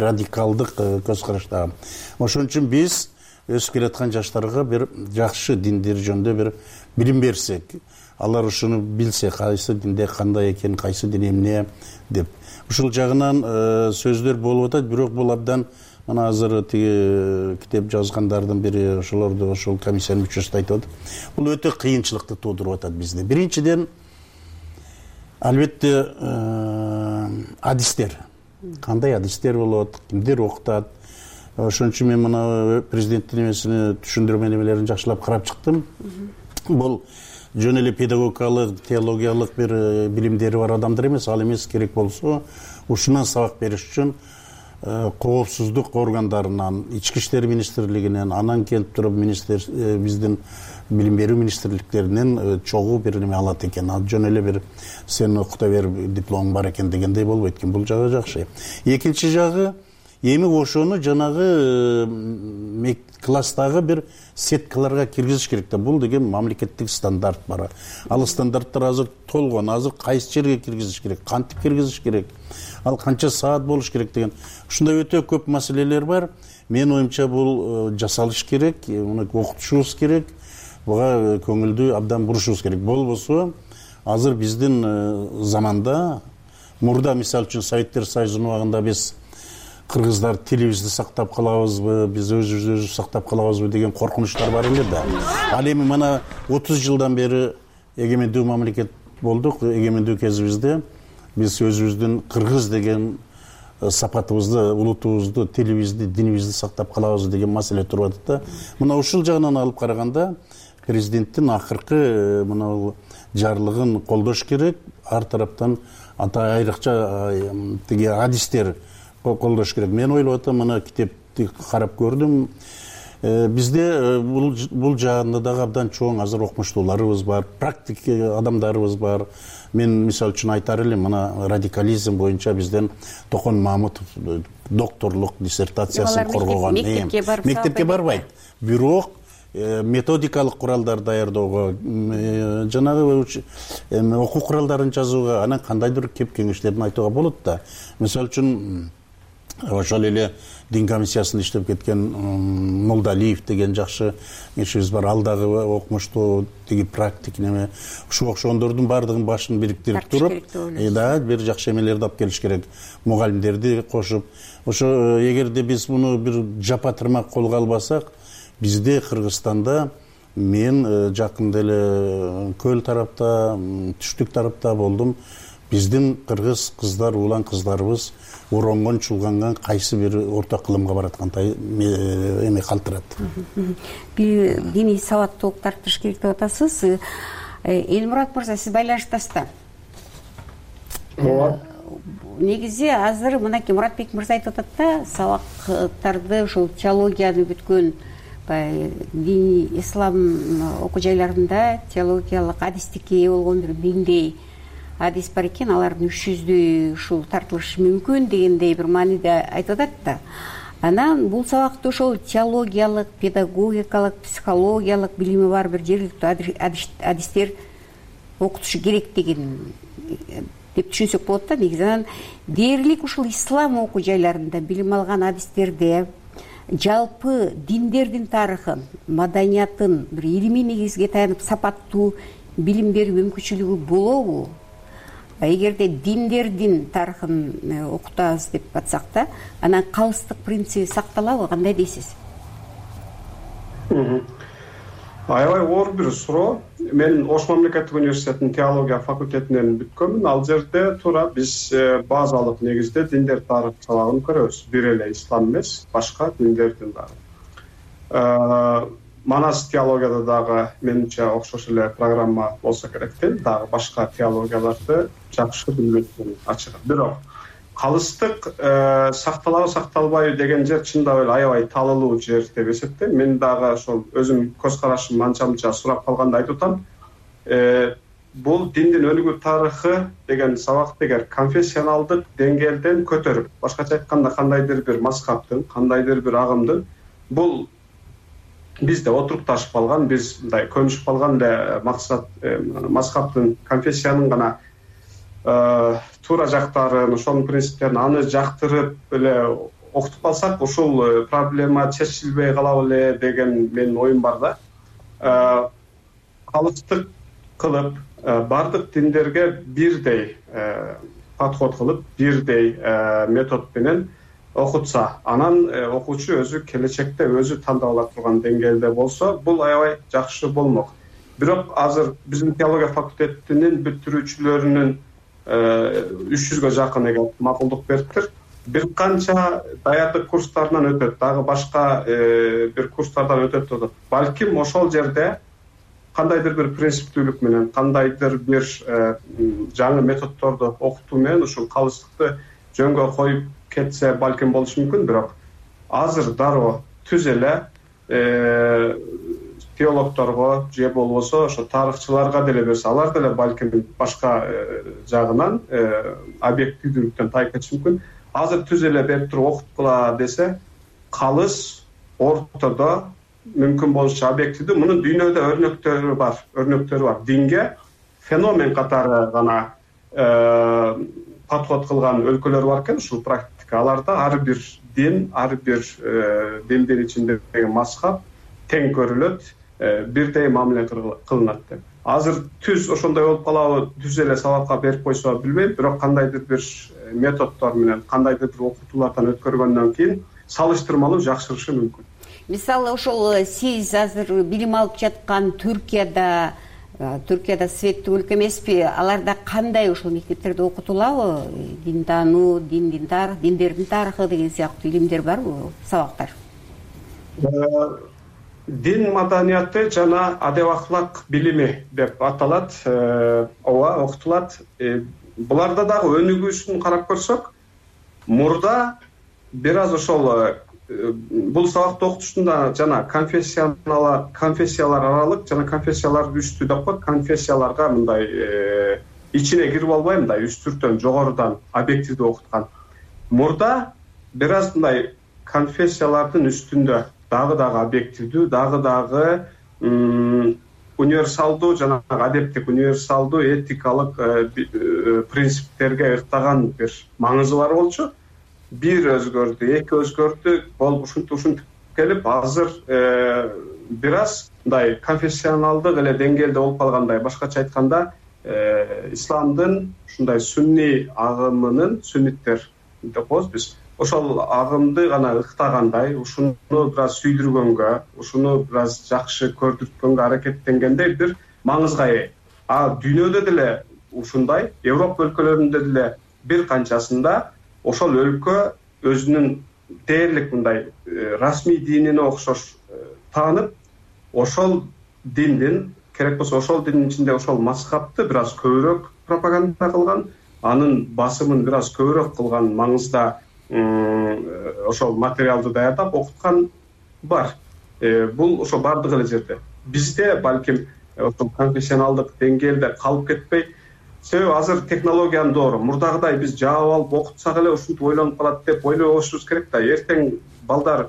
радикалдык көз караштагы. Ошон үчүн биз өсүп келаткан жаштарга бир жакшы диндер жөнүндө бир билим берсек, алар ушуну билсе, кайсы динде кандай экен, кайсы дин эмне деп. Ушул жагынан сөздөр болуп атат, бирок бул абдан мына азыр тиги китеп жазгандардын бири ошолорду ошол комиссиянын мүчөсү айтып атат. Бул өтө кыйынчылыкты туудуруп атат бизде. Биринчиден, албетте адистер. Кандай адистер болот, кимдер окутат. Ошон үчүн мен мына президенттин эмесини түшүндүрмө немелерин жакшылап карап чыктым. Бул жөн эле педагогикалык, теологиялык бир билимдери бар адамдар эмес, ал эмес, керек болсо ушунан сабак бериш үчүн коопсуздук органдарынан, ички иштер министрлигинен, анан келип туруп биздин билим берүү министрликтеринен чогуу бир неме алат экен. Ал жөн эле бир сен окута бер, дипломуң бар экен дегендей болбойт экен. Бул жагы жакшы. Экинчи жагы, эми ошону жанагы класстагы бир сеткаларга киргизиш керек да. Бул деген мамлекеттик стандарт бар. Ал стандарттар азыр толгон. Азыр кайсы жерге киргизиш керек, кантип киргизиш керек, ал канча саат болуш керек деген. Ушундай өтө көп маселелер бар. Менин оюмча бул жасалыш керек, муну окутушубуз керек. Буга көңүлдү абдан бурушубуз керек. Болбосо азыр биздин заманда, мурда мисалы үчүн Советтер Союзунун убагында биз кыргыздар тилибизди сактап калабызбы, биз өзүбүздү сактап калабызбы деген коркунучтар бар эле да. Ал эми мына 30 жылдан бери эгемендүү мамлекет болдук. Эгемендүү кезибизде биз өзүбүздүн кыргыз деген сапатыбызды, улутубузду, тилибизди, динибизди сактап калабыз деген маселе туруп атат да. Мына ушул жагынан алып караганда президенттин акыркы мына жарлыгын колдош керек. Ар тараптан айрыкча тиги адистер колдош керек. Мен ойлоп атам, мына китепти карап көрдүм. Бизде бул жагында дагы абдан чоң азыр окумуштууларыбыз бар, практик адамдарыбыз бар. Мен мисалы үчүн айтар элем, мына радикализм боюнча бизден Токон Мамутов докторлук диссертациясын коргогон. Мектепке барбайт. Бирок методикалык куралдар даярдоого, жанагы окуу куралдарын жазууга, анан кандайдыр кеп кеңештерин айтууга болот да. Мисалы үчүн ошол эле дин комиссиясында иштеп кеткен Молдалиев деген жакшы кишибиз бар. Ал дагы окумуштуу, тиги практик неме. Ушуга окшогондордун баардыгын башын бириктирип туруп, бир жакшы эмелерди алып келиш керек. Мугалимдерди кошуп. Ошо эгерде биз муну бир жапа тырмак колго албасак, бизде Кыргызстанда, мен жакында эле көл тарапта, түштүк тарапта болдум. Биздин кыргыз кыздар, улан кыздарыбыз оронгон, чулганган кайсы бир орто кылымга бараткандай эме калтырат. Диний сабаттуулукту арттырыш керек деп атасыз. Элмурат мырза, сиз байланыштасыз да. Негизи азыр мынакей Муратбек мырза айтып атат да, сабактарды ушул теологияны бүткөн диний ислам окуу жайларында теологиялык адистикке ээ болгон бир миңдей адис бар экен, алардын 300-дүү ушул тартылышы мүмкүн дегендей бир мааниде айтып атат да. Анан бул сабакты ошол теологиялык, педагогикалык, психологиялык билими бар бир жергиликтүү адистер окутушу керек деген деп түшүнсөк болот да. Негизи анан дээрлик ушул ислам окуу жайларында билим алган адистерде жалпы диндердин тарыхын, маданиятын бир илимий негизге таянып сапаттуу билим берүү мүмкүнчүлүгү болобу? Эгерде диндердин тарыхын окутабыз деп атсак да, анан калыстык принциби сакталабы, кандай дейсиз? Аябай оор бир суроо. Мен Ош мамлекеттик университетинин теология факультетинен бүткөнмүн. Ал жерде туура биз базалык негизде диндер тарых сабагын көрөбүз. Бир эле ислам эмес, башка диндердин дагы. Манас теологияда дагы менимче окшош эле программа болсо керек да, дагы башка теологияларды жакшы билбейтин ачык. Бирок калыстык сакталабы сакталбайбы деген жер чындап эле аябай талылуу жер деп эсептейм. Мен дагы ошол өзүм көз карашым анча-мынча сурап калганда айтып атам. Бул диндин өнүгүү тарыхы деген сабакты эгер конфессионалдык деңгээлден көтөрүп, башкача айтканда кандайдыр бир мазхабтын, кандайдыр бир агымдын, бул бизде отуруп ташып калган, биз мындай көнүшүп калган эле максат мазхабтын, конфессиянын гана туура жактарын, ошонун принциптерин аны жактырып эле окутуп калсак, ушул проблема чечилбей калабы эле деген менин оюм бар да. Калыстык кылып, бардык диндерге бирдей подход кылып, бирдей метод менен окутса, анан окуучу өзү келечекте өзү тандап ала турган деңгээлде болсо, бул аябай жакшы болмок. Бирок азыр биздин теология факультетинин бүтүрүүчүлөрүнүн 300гө жакын эгер макулдук бериптир. Бир канча даярдык курстарынан өтөт, дагы башка бир курстардан өтөт деп атат. Балким ошол жерде кандайдыр бир принциптүүлүк менен, кандайдыр бир жаңы методдорду окутуу менен ушул калыстыкты жөнгө коюп кетсе балким болушу мүмкүн. Бирок азыр дароо түз эле теологторго же болбосо ошо тарыхчыларга деле берсе, алар деле балким башка жагынан объективдүүлүктөн тайып кетиши мүмкүн. Азыр түз эле берип туруп окуткула десе, калыс ортодо мүмкүн болушунча объективдүү. Мунун дүйнөдө өрнөктөрү бар. Динге феномен катары гана подход кылган өлкөлөр бар экен, ушул практика. Аларда ар бир дин, ар бир диндин ичиндеги мазхаб тең көрүлөт, бирдей мамиле кылынат деп. Азыр түз ошондой болуп калабы, түз эле сабакка берип койсо билбейм, бирок кандайдыр бир методдор менен, кандайдыр бир окутуулардан өткөргөндөн кийин салыштырмалуу жакшырышы мүмкүн. Мисалы ошол сиз азыр билим алып жаткан Түркияда светтүү өлкө эмеспи? Аларда кандай ошол мектептерде окутулабы? Динтануу, диндердин тарыхы деген сыяктуу илимдер барбы, сабактар? Дин маданияты жана адеп ахлак билими деп аталат. Ооба, окутулат. Буларда дагы өнүгүүсүн карап көрсөк, мурда бир аз ошол бул сабакты окутушунда жана конфессиялар аралык жана конфессиялар үстү деп коет. Конфессияларга мындай ичине кирип албай, мындай үстүртөн жогорудан объективдүү окуткан. Мурда бир аз мындай конфессиялардын үстүндө дагы объективдүү, дагы универсалдуу жана адептик, универсалдуу этикалык принциптерге ырктаган бир маңызы бар болчу. Бир өзгөрдү, эки өзгөрдү, болуп ушинтип келип, азыр бир аз мындай конфессионалдык эле деңгээлде болуп калгандай. Башкача айтканда, исламдын ушундай сунни агымынын, сунниттер деп коебуз биз, ошол агымды гана ыктагандай, ушуну бир аз сүйдүргөнгө, ушуну бир аз жакшы көрдүрткөнгө аракеттенгендей бир маңызга ээ. Дүйнөдө деле ушундай, Европа өлкөлөрүндө деле бир канчасында ошол өлкө өзүнүн дээрлик мындай расмий динине окшош таанып, ошол диндин, керек болсо ошол диндин ичинде ошол мазхабты бир аз көбүрөөк пропаганда кылган, анын басымын бир аз көбүрөөк кылган маңызда ошол материалды даярдап окуткан бар. Бул ошо бардык эле жерде. Бизде балким ошол конфессионалдык деңгээлде калып кетпей, себеби азыр технологиянын доору. Мурдагыдай биз жаап алып окутсак эле ушинтип ойлонуп калат деп ойлобошубуз керек да. Эртең балдар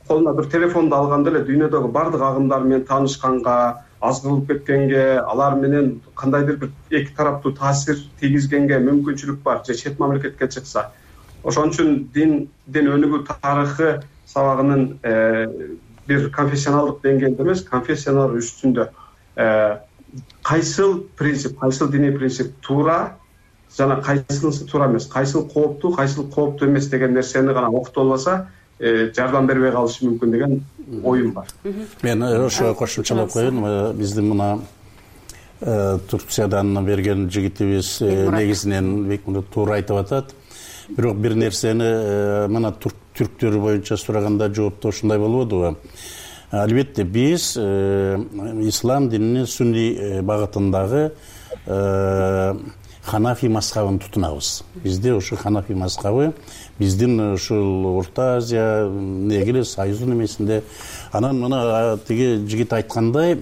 колуна бир телефонду алганда эле дүйнөдөгү бардык агымдар менен таанышканга, аз кылып кеткенге, алар менен кандайдыр бир эки тараптуу таасир тийгизгенге мүмкүнчүлүк бар, же чет мамлекетке чыкса. Ошон үчүн дин өнүгүү тарыхы сабагынын бир конфессионалдык деңгээлде эмес, конфессиялар үстүндө кайсыл принцип, кайсыл диний принцип туура жана кайсынысы туура эмес, кайсыл кооптуу эмес деген нерсени гана окутуп албаса, жардам бербей калышы мүмкүн деген оюм бар. Мен ошо кошумчалап коеюн. Биздин мына Турциядан берген жигитибиз негизинен туура айтып атат. Бирок бир нерсени мына түрктөр боюнча сураганда жоопто ушундай болбодубу? Албетте биз ислам дининин сунни багытындагы ханафи мазхабын тутунабыз. Бизде ошо ханафи мазхабы биздин ушул Орто Азия негиле Союздун эмесинде. Анан мына тиги жигит айткандай,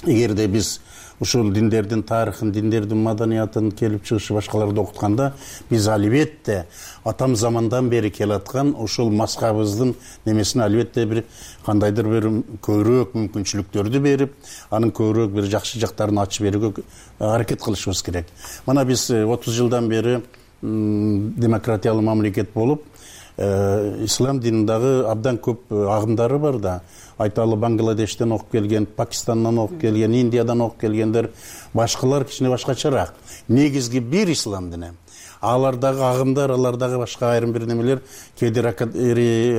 эгерде биз ушул диндердин тарыхын, диндердин маданиятын, келип чыгышы башкаларды окутканда, биз албетте атам замандан бери келаткан ушул мазхабыбыздын немесине албетте бир кандайдыр бир көбүрөөк мүмкүнчүлүктөрдү берип, анын көбүрөөк бир жакшы жактарын ачып берүүгө аракет кылышыбыз керек. Мына биз 30 жылдан бери демократиялуу мамлекет болуп, ислам динин дагы абдан көп агымдары бар да. Айталы Бангладештен окуп келген, Пакистандан окуп келген, Индиядан окуп келгендер, башкалар кичине башкачараак. Негизги бир ислам дини. Алардагы агымдар, алардагы башка айрым бир немелер кээде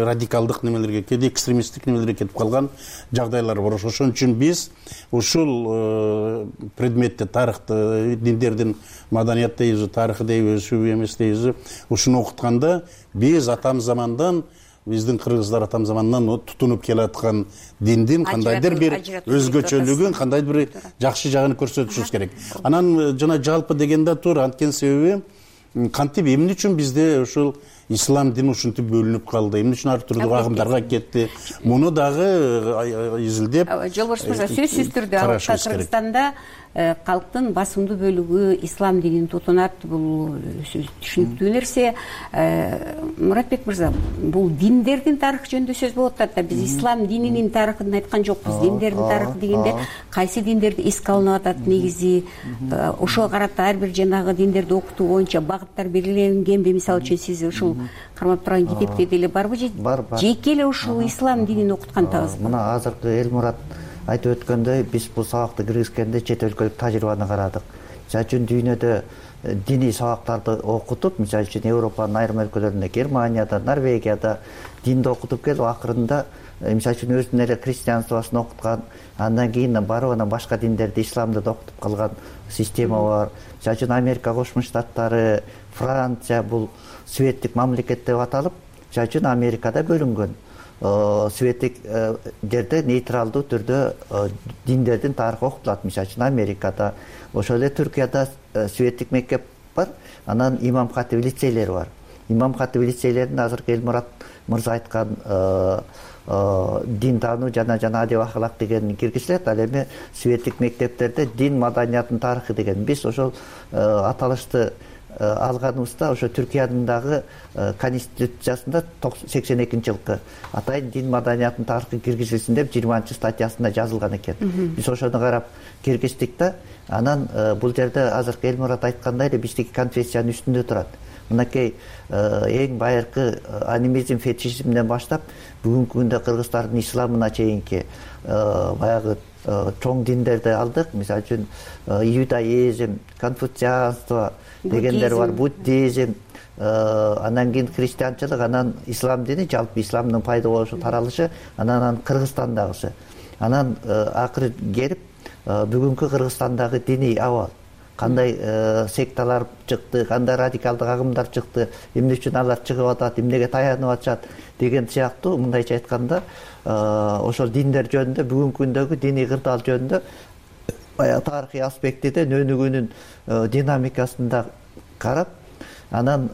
радикалдык немелерге, кээде экстремисттик немелерге кетип калган жагдайлар бар. Ошон үчүн биз ушул предметте, тарыхты, диндердин маданият дейбиз, тарыхы дейбиз, сүбү эмес дейбиз, ушуну окутканда биз атам замандан, биздин кыргыздар атам замандан тутунуп келаткан диндин кандайдыр бир өзгөчөлүгүн, кандайдыр бир жакшы жагын көрсөтүшүбүз керек. Анан жана жалпы дегенде тур, анткени себеби кантип эмне үчүн бизде ушул ислам дини ушинтип бөлүнүп калды, эмне үчүн ар түрдүү агымдарга кетти, муну дагы изилдеп Жолбош мырза, сөзсүз түрдө Кыргызстанда калктын басымдуу бөлүгү ислам динин тутунат. Бул түшүнүктүү нерсе. Муратбек мырза, бул диндердин тарыхы жөнүндө сөз болуп атат да. Биз ислам дининин тарыхын айткан жокпуз. Диндердин тарыхы дегенде кайсы диндерди эске алынып атат негизи, ошого карата ар бир жанагы диндерди окутуу боюнча багыттар белгиленгенби? Мисалы үчүн сиз ушул кармап турган китепте деле барбы же жеке эле ушул ислам динин окуткандабызбы? Мына азыркы Элмурат айтып өткөндөй, биз бул сабакты киргизгенде чет өлкөлүк тажрыйбаны карадык. Мисалы үчүн дүйнөдө диний сабактарды окутуп, мисалы үчүн Европанын айрым өлкөлөрүндө, Германияда, Норвегияда динди окутуп келип, акырында мисалы үчүн өзүнүн эле христианствосун окуткан, андан кийин барып анан башка диндерди, исламды да окутуп калган система бар. Мисалы үчүн Америка Кошмо Штаттары, Франция бул светтик мамлекет деп аталып, мисалы үчүн Америкада бөлүнгөн. Светтик жерде нейтралдуу түрдө диндердин тарыхы окутулат. Мисалы үчүн Америкада, ошол эле Түркияда светтик мектеп бар, анан имам хатип лицейлери бар. Имам хатип лицейлерин азыркы Элмурат мырза айткан дин таануу жана адеп ахлак дегени киргизилет. Ал эми светтик мектептерде дин маданиятынын тарыхы деген биз ошол аталышты алганыбызда ошо Түркиянын дагы конституциясында 82-жылкы атайын дин маданиятынын тарыхы киргизилсин деп 20-статьясында жазылган экен. Биз ошону карап киргиздик да, анан бул жерде азыркы Элмурат айткандай эле биздики конфессиянын үстүндө турат. Мынакей эң байыркы анимизм, фетишизмден баштап бүгүнкү күндө кыргыздардын исламына чейинки баягы чоң диндерди алдык. Мисалы үчүн иудаизм, конфуцианство дегендер бар, буддизм, анан кийин христианчылык, анан ислам дини, жалпы исламдын пайда болушу, таралышы, анан Кыргызстандагысы. Анан акыры келип бүгүнкү Кыргызстандагы диний абал, кандай секталар чыкты, кандай радикалдык агымдар чыкты, эмне үчүн алар чыгып атат, эмнеге таянып атышат деген сыяктуу, мындайча айтканда ошол диндер жөнүндө, бүгүнкү күндөгү диний кырдаал жөнүндө баягы тарыхый аспектиден өнүгүүнүн динамикасында карап, анан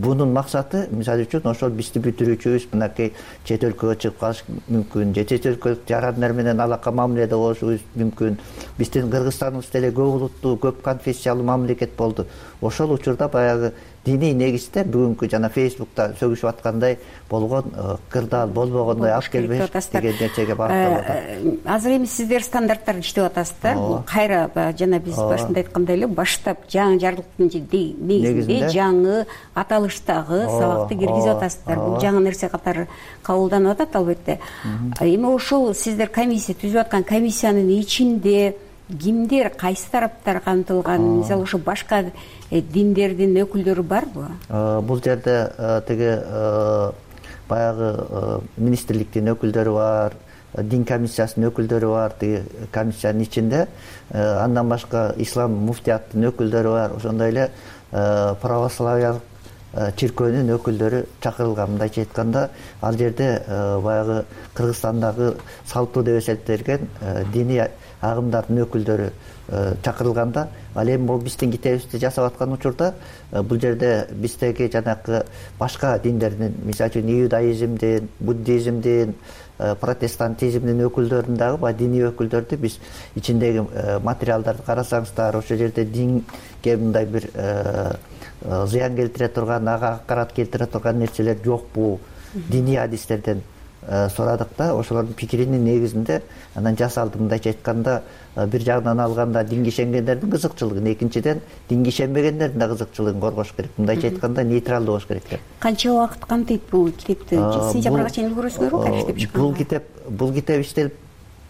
бунун максаты мисалы үчүн ошол бизди бүтүрүүчүбүз мынакей чет өлкөгө чыгып калыш мүмкүн, же чет өлкөлүк жарандар менен алака мамиледе болушубуз мүмкүн. Биздин Кыргызстаныбыз деле көп улуттуу, көп конфессиялуу мамлекет болду. Ошол учурда баягы диний негизде бүгүнкү жана Фейсбукта сөгүшүп аткандай болгон кырдаал болбогондой алып келбеш деген нерсеге барып атат. Азыр эми сиздер стандарттарды иштеп атасыздар. Бул кайра жана биз башында айткандай эле баштап жаңы жарлыктын негизинде жаңы аталыштагы сабакты киргизип атасыздар. Бул жаңы нерсе катары кабылданып атат албетте. Эми ошол сиздер комиссия түзүп аткан комиссиянын ичинде кимдер, кайсы тараптар камтылган? Мисалы ошо башка диндердин өкүлдөрү барбы? Бул жерде тиги баягы министрликтин өкүлдөрү бар, дин комиссиясынын өкүлдөрү бар, тиги комиссиянын ичинде. Андан башка ислам муфтияттын өкүлдөрү бар, ошондой эле православиялык чиркөөнүн өкүлдөрү чакырылган. Мындайча айтканда, ал жерде баягы Кыргызстандагы салттуу деп эсептелген диний агымдардын өкүлдөрү чакырылганда, ал эми бул биздин китебибизди жасап аткан учурда бул жерде биздеги жанакы башка диндердин, мисалы үчүн иудаизмдин, буддизмдин, протестантизмдин өкүлдөрүн дагы, баягы диний өкүлдөрдү биз ичиндеги материалдарды карасаңыздар, ошол жерде динге мындай бир зыян келтире турган, ага акарат келтире турган нерселер жокпу, диний адистерден сурадык да, ошолордун пикиринин негизинде анан жасалды. Мындайча айтканда, бир жагынан алганда динге ишенгендердин кызыкчылыгын, экинчиден динге ишенбегендердин да кызыкчылыгын коргош керек. Мындайча айтканда нейтралдуу болуш керек деп. Канча убакыт камтыйт бул китепти? Сентябрга чейин үлгүрөсүзгөр кайра иштеп чыкканга? Бул китеп иштелип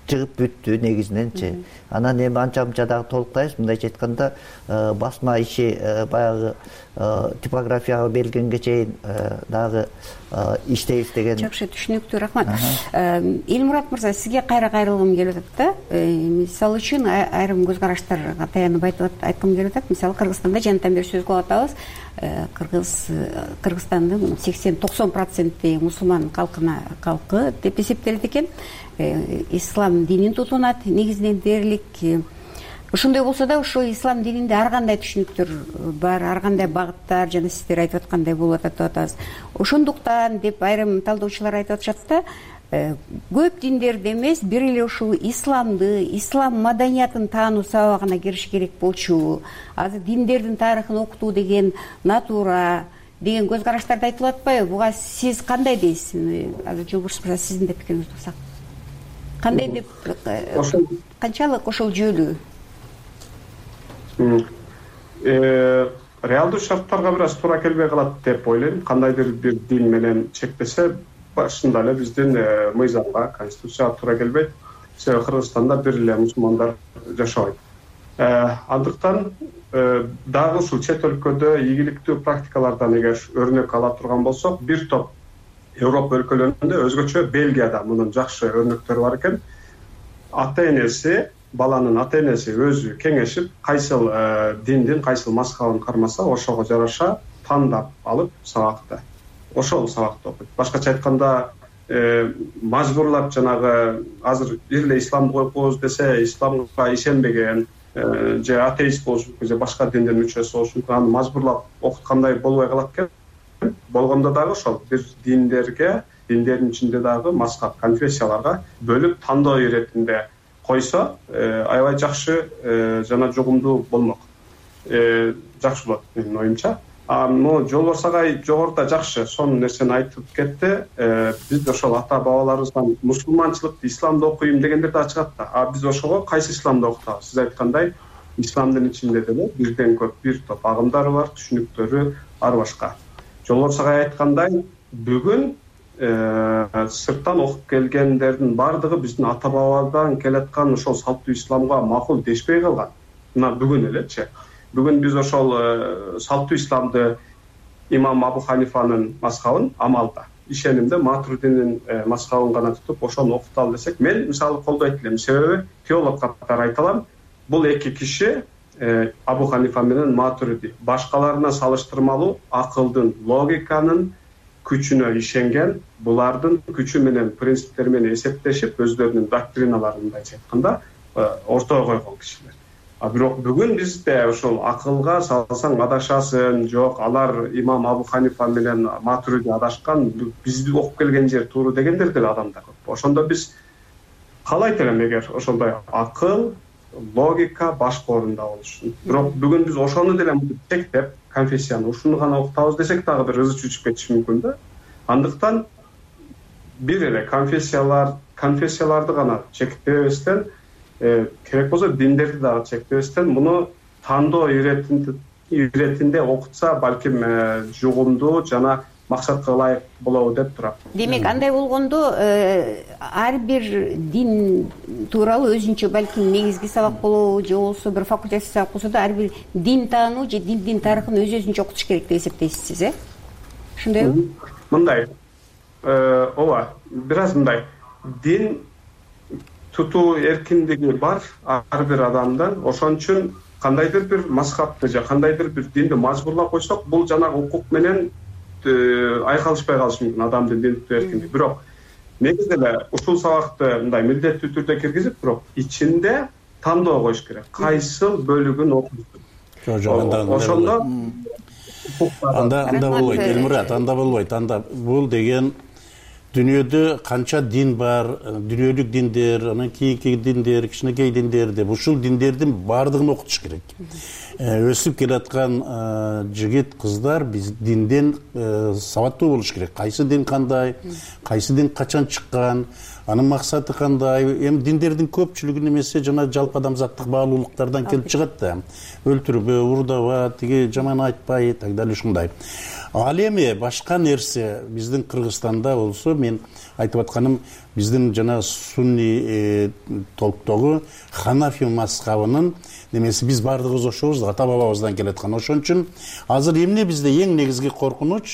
чыгып бүттү негизиненчи. Анан эми анча-мынча дагы толуктайбыз. Мындайча айтканда, басма иши баягы типографияга берилгенге чейин дагы иштейбиз деген. Жакшы, түшүнүктүү, рахмат. Элмурат мырза, сизге кайрылгым келип атат да. Мисалы үчүн айрым көз караштарга таянып айткым келип атат. Мисалы, Кыргызстанда жанатан бери сөз кылып атабыз. Кыргызстандын 80-90% мусулман калкы деп эсептелет экен. Ислам динин тутунат негизинен дээрлик. Ошондой болсо да, ошо ислам дининде ар кандай түшүнүктөр бар, ар кандай багыттар, жана сиздер айтып аткандай болуп атат деп атабыз. Ошондуктан деп айрым талдоочулар айтып атышат да, көп диндерди эмес, бир эле ушул исламды, ислам маданиятын таануу сабагына кириш керек болчу. Азыр диндердин тарыхын окутуу деген натура деген көз караштарды айтылып атпайбы? Буга сиз кандай дейсиз? Азыр Жолборс мырза, сиздин да пикириңизди алсак. Кандай деп, канчалык ошол жүйөлүү? Реалдуу шарттарга бир аз туура келбей калат деп ойлойм. Кандайдыр бир дин менен чектесе, башында эле биздин мыйзамга, конституцияга туура келбейт. Себеби Кыргызстанда бир эле мусулмандар жашабайт. Андыктан дагы ушул чет өлкөдө ийгиликтүү практикалардан эгер өрнөк ала турган болсок, бир топ Европа өлкөлөрүндө, өзгөчө Бельгияда мунун жакшы өрнөктөрү бар экен. Ата-энеси, баланын ата-энеси өзү кеңешип, кайсыл диндин кайсыл мазхабын кармаса, ошого жараша тандап алып сабакты. Ошол сабакты окуйт. Башкача айтканда, мажбурлап жанагы азыр бир эле исламды коюп коебуз десе, исламга ишенбеген же атеист болушу мүмкүн, же башка диндин мүчөсү болушу мүмкүн, аны мажбурлап окуткандай болбой калат экен. Болгондо дагы ошол бир диндердин ичинде дагы мазхаб, конфессияларга бөлүп тандоо иретинде койсо, аябай жакшы жана жугумдуу болмок. Жакшы болот менин оюмча. Могу Жолборс агай жогоруда жакшы сонун нерсени айтып кетти. Биз ошол ата бабаларыбыздан мусулманчылыкты, исламды окуйм дегендер да чыгат да. Биз ошого кайсы исламды окутабыз? Сиз айткандай, исламдын ичинде деле бирден көп бир топ агымдары бар, түшүнүктөрү ар башка. Жолборс агай айткандай, бүгүн сырттан окуп келгендердин бардыгы биздин ата бабадан келаткан ошол салттуу исламга макул дешпей калган. Мына бүгүн элечи. Бүгүн биз ошол салттуу исламды имам Абу Ханифанын мазхабын амалда, ишенимде Матуридинин мазхабын гана тутуп ошону окуталы десек, мен мисалы колдойт элем. Себеби теолог катары айта алам, бул эки киши Абу Ханифа менен Матуриди башкаларына салыштырмалуу акылдын, логиканын күчүнө ишенген, булардын күчү менен, принциптери менен эсептешип, өздөрүнүн доктриналарын мындайча айтканда ортого койгон кишилер. Бирок бүгүн бизде ошол акылга салсаң адашасың, жок, алар имам Абу Ханифа менен Матуриди адашкан, бизди окуп келген жер туура дегендер деле адамдар көп. Ошондо биз каалайт элем эгер ошондой акыл, логика башкы орунда болушун. Бирок бүгүн биз ошону деле чектеп, конфессияны ушуну гана окутабыз десек дагы бир ызы чүчүп кетиши мүмкүн да. Андыктан бир эле конфессияларды гана чектебестен, керек болсо диндерди дагы чектебестен, муну тандоо иретинде окутса балким жугумдуу жана максатка ылайык болобу деп турам. Демек, андай болгондо ар бир дин тууралуу өзүнчө балким негизги сабак болобу, же болбосо бир факультатив сабак болсо да ар бир дин таануу же диндин тарыхын өзүнчө окутуш керек деп эсептейсиз, ошондойбу? Мындай, ооба, бир аз мындай, дин тутуу эркиндиги бар ар бир адамдан. Ошон үчүн кандайдыр бир мазхабты же кандайдыр бир динди мажбурлап койсок, бул жанагы укук менен айкалышпай калышы мүмкүн адамдын дин тутуу эркиндиги. Бирок негизи эле ушул сабакты мындай милдеттүү түрдө киргизип, бирок ичинде тандоо коюш керек. Кайсыл бөлүгүн окуйсуң. Ошондо анда болбойт, Элмурат, анда болбойт. Анда бул деген дүйнөдө канча дин бар, дүйнөлүк диндер, анан кийинки диндер, кичинекей диндер деп ушул диндердин баардыгын окутуш керек. Өсүп келаткан жигит кыздар биз динден сабаттуу болуш керек. Кайсы дин кандай, кайсы дин качан чыккан, анын максаты кандай. Эми диндердин көпчүлүгү эмесе жана жалпы адамзаттык баалуулуктардан келип чыгат да. Өлтүрбө, урдаба, тиги жаман айтпай, так далее ушундай. Ал эми башка нерсе биздин Кыргызстанда болсо, мен айтып атканым биздин жана сунни толктогу Ханафи мазхабынын немеси биз баардыгыбыз ошобуз да, ата бабабыздан келаткан. Ошон үчүн азыр эмне бизде эң негизги коркунуч,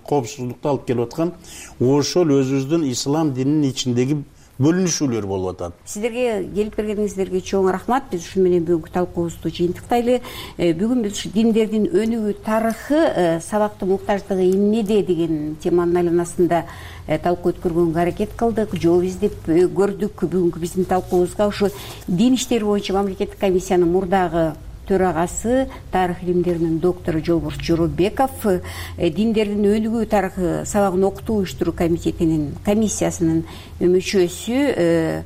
коопсуздукту алып келип аткан ошол өзүбүздүн ислам дининин ичиндеги бөлүнүшүүлөр болуп атат. Сиздерге келип бергениңиздерге чоң рахмат. Биз ушу менен бүгүнкү талкуубузду жыйынтыктайлы. Бүгүн биз ушу диндердин өнүгүү тарыхы, сабактын муктаждыгы эмнеде деген теманын айланасында талкуу өткөргөнгө аракет кылдык, жооп издеп көрдүк. Бүгүнкү биздин талкуубузга ушу дин иштери боюнча мамлекеттик комиссиянын мурдагы төрагасы, тарых илимдеринин доктору Жолборс Жоробеков, диндердин өнүгүү тарыхы сабагын окутуу уюштуруу комитетинин комиссиясынын мүчөсү,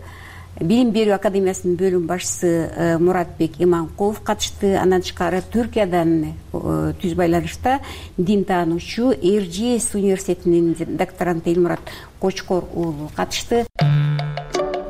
Билим берүү академиясынын бөлүм башчысы Муратбек Иманкулов катышты. Андан тышкары Түркиядан түз байланышта дин таануучу Эржиес университетинин докторанты Элмурат Кочкор уулу катышты.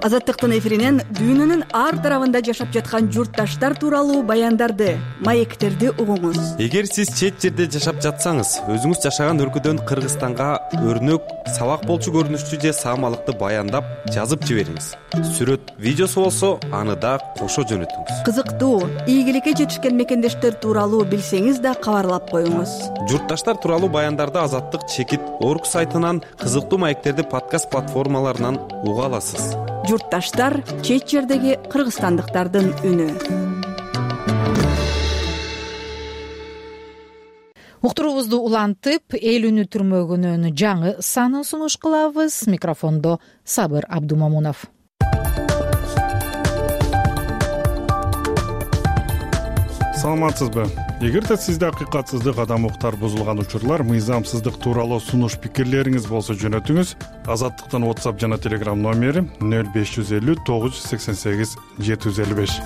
Азаттыктын эфиринен дүйнөнүн ар тарабында жашап жаткан журтташтар тууралуу баяндарды, маектерди угуңуз. Эгер сиз чет жерде жашап жатсаңыз, өзүңүз жашаган өлкөдөн Кыргызстанга өрнөк, сабак болчу көрүнүштүү же саамалыкты баяндап жазып жибериңиз. Сүрөт, видеосу болсо, аны да кошо жөнөтүңүз. Кызыктуу, ийгиликке жетишкен мекендештер тууралуу билсеңиз да кабарлап коюңуз. Журтташтар тууралуу баяндарды Азаттык чекит орг сайтынан, кызыктуу маектерди подкаст платформаларынан уга аласыз. Журтташтар — чет жердеги кыргызстандыктардын үнү. Уктуруубузду улантып, эл үнү түрмөгүнүн жаңы санын сунуш кылабыз. Микрофондо Сабыр Абдумамунов. Саламатсызбы? Эгерде сизде акыйкатсыздык, адам укуктар бузулган учурлар, мыйзамсыздык тууралуу сунуш пикирлериңиз болсо жөнөтүңүз. Азаттыктын WhatsApp жана Telegram номери 0550 988 755.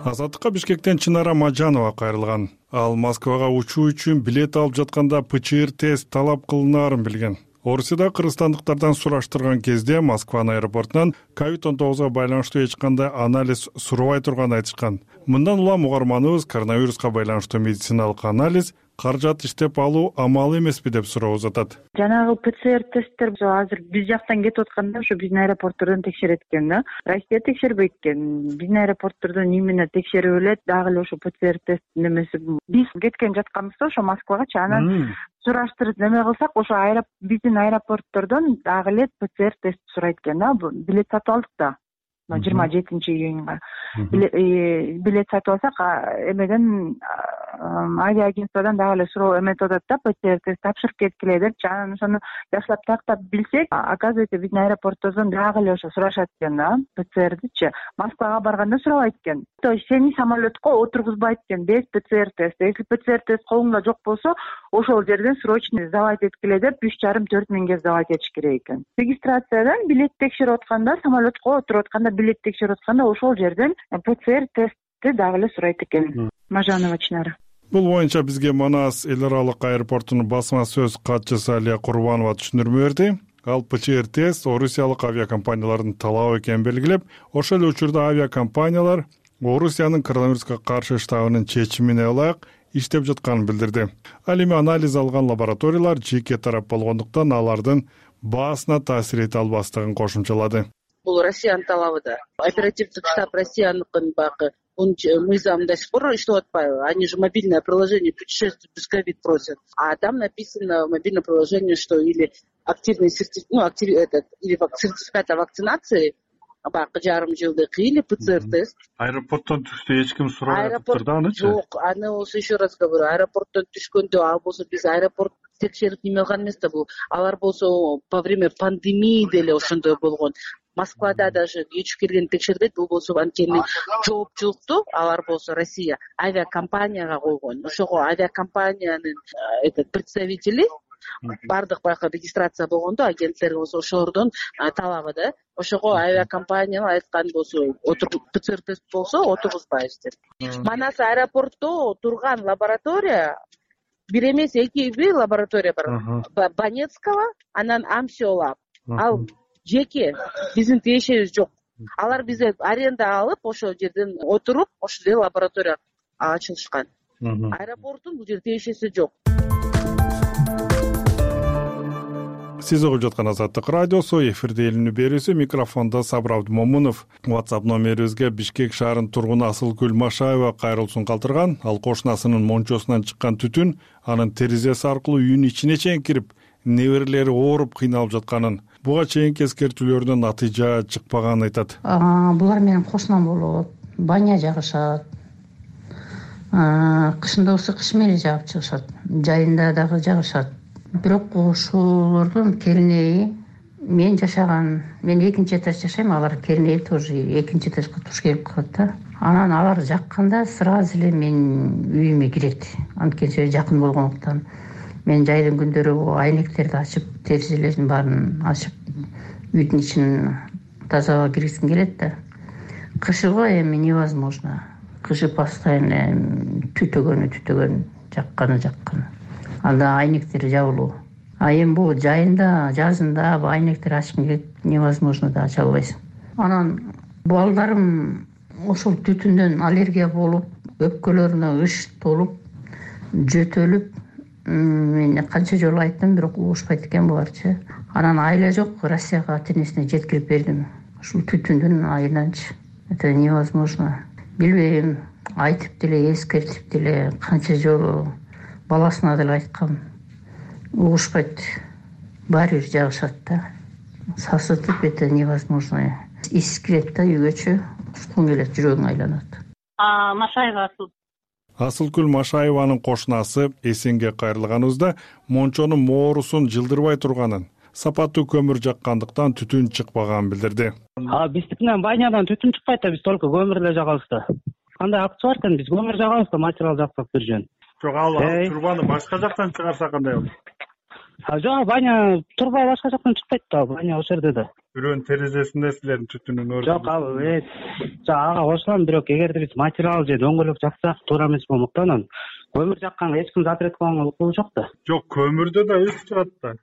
Азаттыкка Бишкектен Чынара Мажанова кайрылган. Ал Москвага учуу үчүн билет алып жатканда ПЧР тест талап кылынаарын билген. Орусияда кыргызстандыктардан сураштырган кезде Москванын аэропортунан COVID-19 байланыштуу эч кандай анализ сурабай турганын айтышкан. Мындан улам угарманыбыз коронавируска байланыштуу медициналык анализ каражат иштеп алуу амалы эмеспи деп суроо узатат. Жанагы ПЦР тесттер азыр биз жактан кетип атканда ушу биздин аэропорттордон текшерет экен да. Россия текшербейт экен. Биздин аэропорттордон именно текшерип элет, дагы эле ошо ПЦР тест немеси. Биз кеткен жатканыбызда ошо Москвагачы анан сураштырып неме кылсак, ошо биздин аэропорттордон дагы эле ПЦР тест сурайт экен да. Билет сатып алдык да. 27-июнга билет сатып алсак, эмеден авиаагентстводан дагы эле суроо эметип атат да, ПЦР тест тапшырып кеткиле депчи. Анан ошону жакшылап тактап билсек, оказывается, биздин аэропорттордон дагы эле ошо сурашат экен да, ПЦРдичи. Москвага барганда сурабайт экен. То есть сени самолетко отургузбайт экен без ПЦР тест. Если ПЦР тест колуңда жок болсо, ошол жерден срочно сдавать эткиле деп 3,5-4 миңге сдавать этиш керек экен. Регистрациядан билет текшерип атканда, самолетко отуруп атканда, билет текшерип атканда ошол жерден ПЦР тестти дагы эле сурайт экен. Мажанова Чынара. Бул боюнча бизге Манас эл аралык аэропортунун басма сөз катчысы Алия Курбанова түшүндүрмө берди. Ал ПЧР тест орусиялык авиакомпаниялардын талабы экенин белгилеп, ошол эле учурда авиакомпаниялар Орусиянын коронавируска каршы штабынын чечимине ылайык иштеп жатканын билдирди. Ал эми анализ алган лабораториялар жеке тарап болгондуктан алардын баасына таасир эте албастыгын кошумчалады. Бул Россиянын талабы да. Оперативдик штаб Россияныкын багы мыйзам до сих пор иштеп атпайбы? Они же мобильное приложение путешествий без ковид просят. А там написано в мобильном приложении, что или активный сертификат, или сертификат о вакцинации, жарым жылдык, или ПЦР тест. Аэропорттон түштү эч ким сурабайт да анычы? Жок, аны болсо еще раз говорю, аэропорттон түшкөндө, ал болсо биз аэропорт текшерип неме кылган эмес да бул. Алар болсо по время пандемии деле ошондой болгон. Москвада даже кечип келген текшербейт, бул болсо анткени жоопчулукту алар болсо Россия авиакомпанияга койгон. Ошого авиакомпаниянын представители баардык баягы регистрация болгондо агенттер болсо ошолордун талабы да. Ошого авиакомпаниялар айткан болсо ПЦР тест болсо отургузбайбыз деп. Манас аэропортто турган лаборатория бир эмес, эки лаборатория бар. Банецкого, анан Амсиолаб. Ал жеке, биздин тиешебиз жок. Алар бизде аренда алып, ошол жерден отуруп, ошол жерде лаборатория ачылышкан. Аэропорттун бул жерде тиешеси жок. Сиз угуп жаткан Азаттык радиосу, эфирде эл үнү берүүсү, микрофондо Сабыр Абдымомунов. WhatsApp номерибизге Бишкек шаарынын тургуну Асылкүл Машаева кайрылуусун калтырган. Ал кошунасынын мончосунан чыккан түтүн анын терезеси аркылуу үйүнүн ичине чейин кирип, неберелери ооруп кыйналып жатканын, буга чейинки эскертүүлөрдөн натыйжа чыкпаганын айтат. Булар менин кошунам болот, баня жагышат. Кышында ысык кыш менен жагып чыгышат, жайында дагы жагышат. Бирок ошолордун кернеи мен жашаган, мен экинчи этаж жашайм, алар кернеи тоже экинчи этажга туш келип калат да. Анан алар жакканда сразу эле мен үйүмө кирет. Анткени жакын болгондуктан мен жайдын күндөрү айнектерди ачып, терезелердин баарын ачып, үйдүн ичин тазалап киргизгим келет да. Кышыгы эми невозможно. Кышы постоянно түтөгөн, жакканы. Анда айнектер жабылуу. Эми бул жайында, жазында айнектер ачкың келет, невозможно да ача албайсың. Анан балдарым ошол түтүндөн аллергия болуп, өпкөлөрүнө ыш толуп, жөтөлүп, мен канча жолу айттым, бирок угушпайт экен буларчы. Анан айла жок, Россияга ата-энесине жеткирип бердим. Ушул түтүндүн айынан,чы. Это невозможно. Билбейм, айтып деле, эскертип деле, канча жолу баласына деле айткам. Угушпайт. Баары бир жагышат да. Сасытып, это невозможно. Ис кирет да үйгөчү. Уткуң келет, жүрөгүң айланат. Машаева Асылкүл Машаеванын кошунасы эсенге кайрылганыбызда мончонун моорусун жылдырбай турганын, сапаттуу көмүр жаккандыктан түтүн чыкпаганын билдирди. Биздикинен банядан түтүн чыкпайт да, биз только көмүр эле жагабыз да. Кандай акчы бар экен, биз көмүр жагабыз да, материал жаксак бир жөн. Жок, ал турбаны башка жактан чыгарса кандай болот? Жок, баня турба башка жактан чыкпайт да, баня ошол жерде да. Бирөөнүн терезесинде силердин түтүнүн өрү. Жок, ага кошулам, бирок эгерде биз материал же дөңгөлөк жаксак, туура эмес болмокта, анан көмүр жакканга эч ким запрет кылганга укугу жок да. Жок, көмүрдө да үч чыгат да.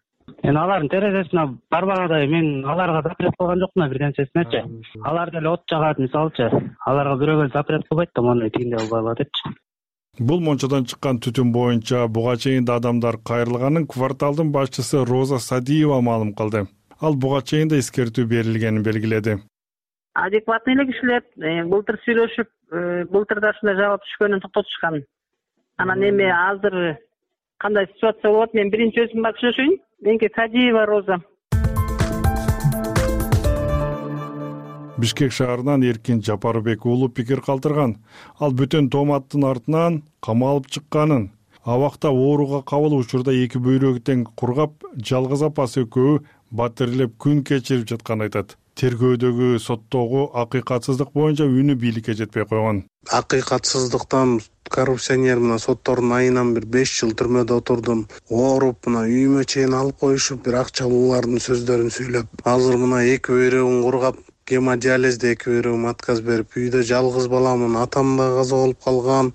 Алардын терезесине барбагандай мен аларга запрет кылган жокмун бирденчесинечи. Алар деле от жагат, мисалчы. Аларга бирөөгө запрет кылбайт да, моундай тигиндей албайла депчи. Бул мончодон чыккан түтүн боюнча буга чейин да адамдар кайрылганын кварталдын башчысы Роза Садиева маалым кылды. Ал буга чейин да эскертүү берилгенин белгиледи. Адекватный эле кишилер былтыр сүйлөшүп, былтыр да ушундай жагып түшкөнүн токтотушкан. Анан эми азыр кандай ситуация болот, мен биринчи өзүм барып сүйлөшөйүн. Меники Садиева Роза. Бишкек шаарынан Эркин Жапарбек уулу пикир калтырган. Ал бүтүн тооматтын артынан камалып чыкканын, абакта ооруга кабыл учурда эки бөйрөгү тең кургап, жалгыз апасы экөө батирлеп күн кечирип жатканын айтат. Тергөөдөгү соттогу акыйкатсыздык боюнча үнү бийликке жетпей койгон. Акыйкатсыздыктан коррупционер мына соттордун айынан бир 5 жыл түрмөдө отурдум. Ооруп мына үйүмө чейин алып коюшуп, бир акчалуулардын сөздөрүн сүйлөп, азыр мына эки бөйрөгүн кургап, гемодиализде эки бөйрөгүм отказ берип, үйдө жалгыз баламын, атам да каза болуп калган.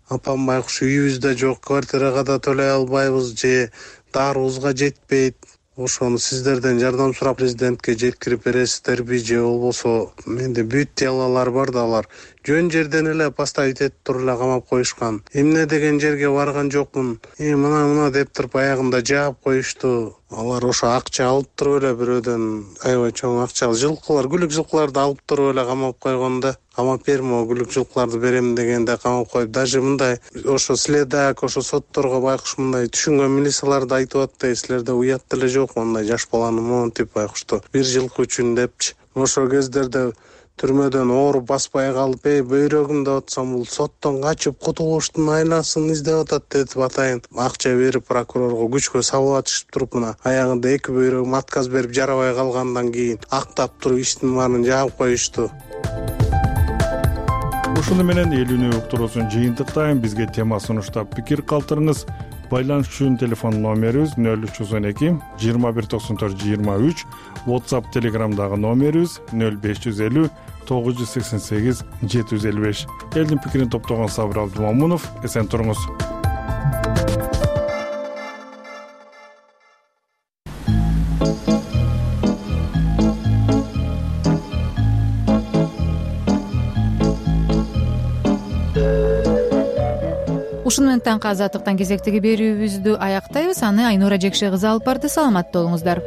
Апам байкуш үйүбүздө жок, квартирага да төлөй албайбыз же дарыбызга жетпейт. Ошону сиздерден жардам сурап президентке жеткирип бересиздерби же болбосо менде бүт делалар бар да, алар жөн жерден эле поставить этип туруп эле камап коюшкан. Эмне деген жерге барган жокмун. Мына деп туруп аягында жаап коюшту. Алар ошо акча алып туруп эле бирөөдөн аябай чоң акча жылкылар, күлүк жылкыларды алып туруп эле камап койгон да. Камап берме, күлүк жылкыларды берем дегенде камап коюп, даже мындай ошо следак, ошо сотторго байкуш мындай түшүнгөн милицияларды айтып атты, силерде уят деле жок, мындай жаш баланы монтип байкушту. Бир жылкы үчүн депчи. Ошо кездерде түрмөдөн ооруп баспай калып, бөйрөгүм деп атсам, бул соттон качып кутулуштун айласын издеп атат деп атайын. Акча берип прокурорго күчкө сабылатышып туруп, мына аягында эки бөйрөгүм отказ берип жарабай калгандан кийин актап туруп иштин баарын жаап коюшту. Ушуну менен эл үнү уктуруусун жыйынтыктайм. Бизге тема сунуштап пикир калтырыңыз. Байланыш үчүн телефон номерибиз 0312 219423, WhatsApp Telegramдагы номерибиз 0550 988 755. Элдин пикирин топтогон Сабыр Абдумамунов. Эсен туруңуз. Ушуну менен таңкы азаттыктан кезектеги берүүбүздү аяктайбыз. Аны Айнура Жекше кызы алып барды. Саламатта болуңуздар.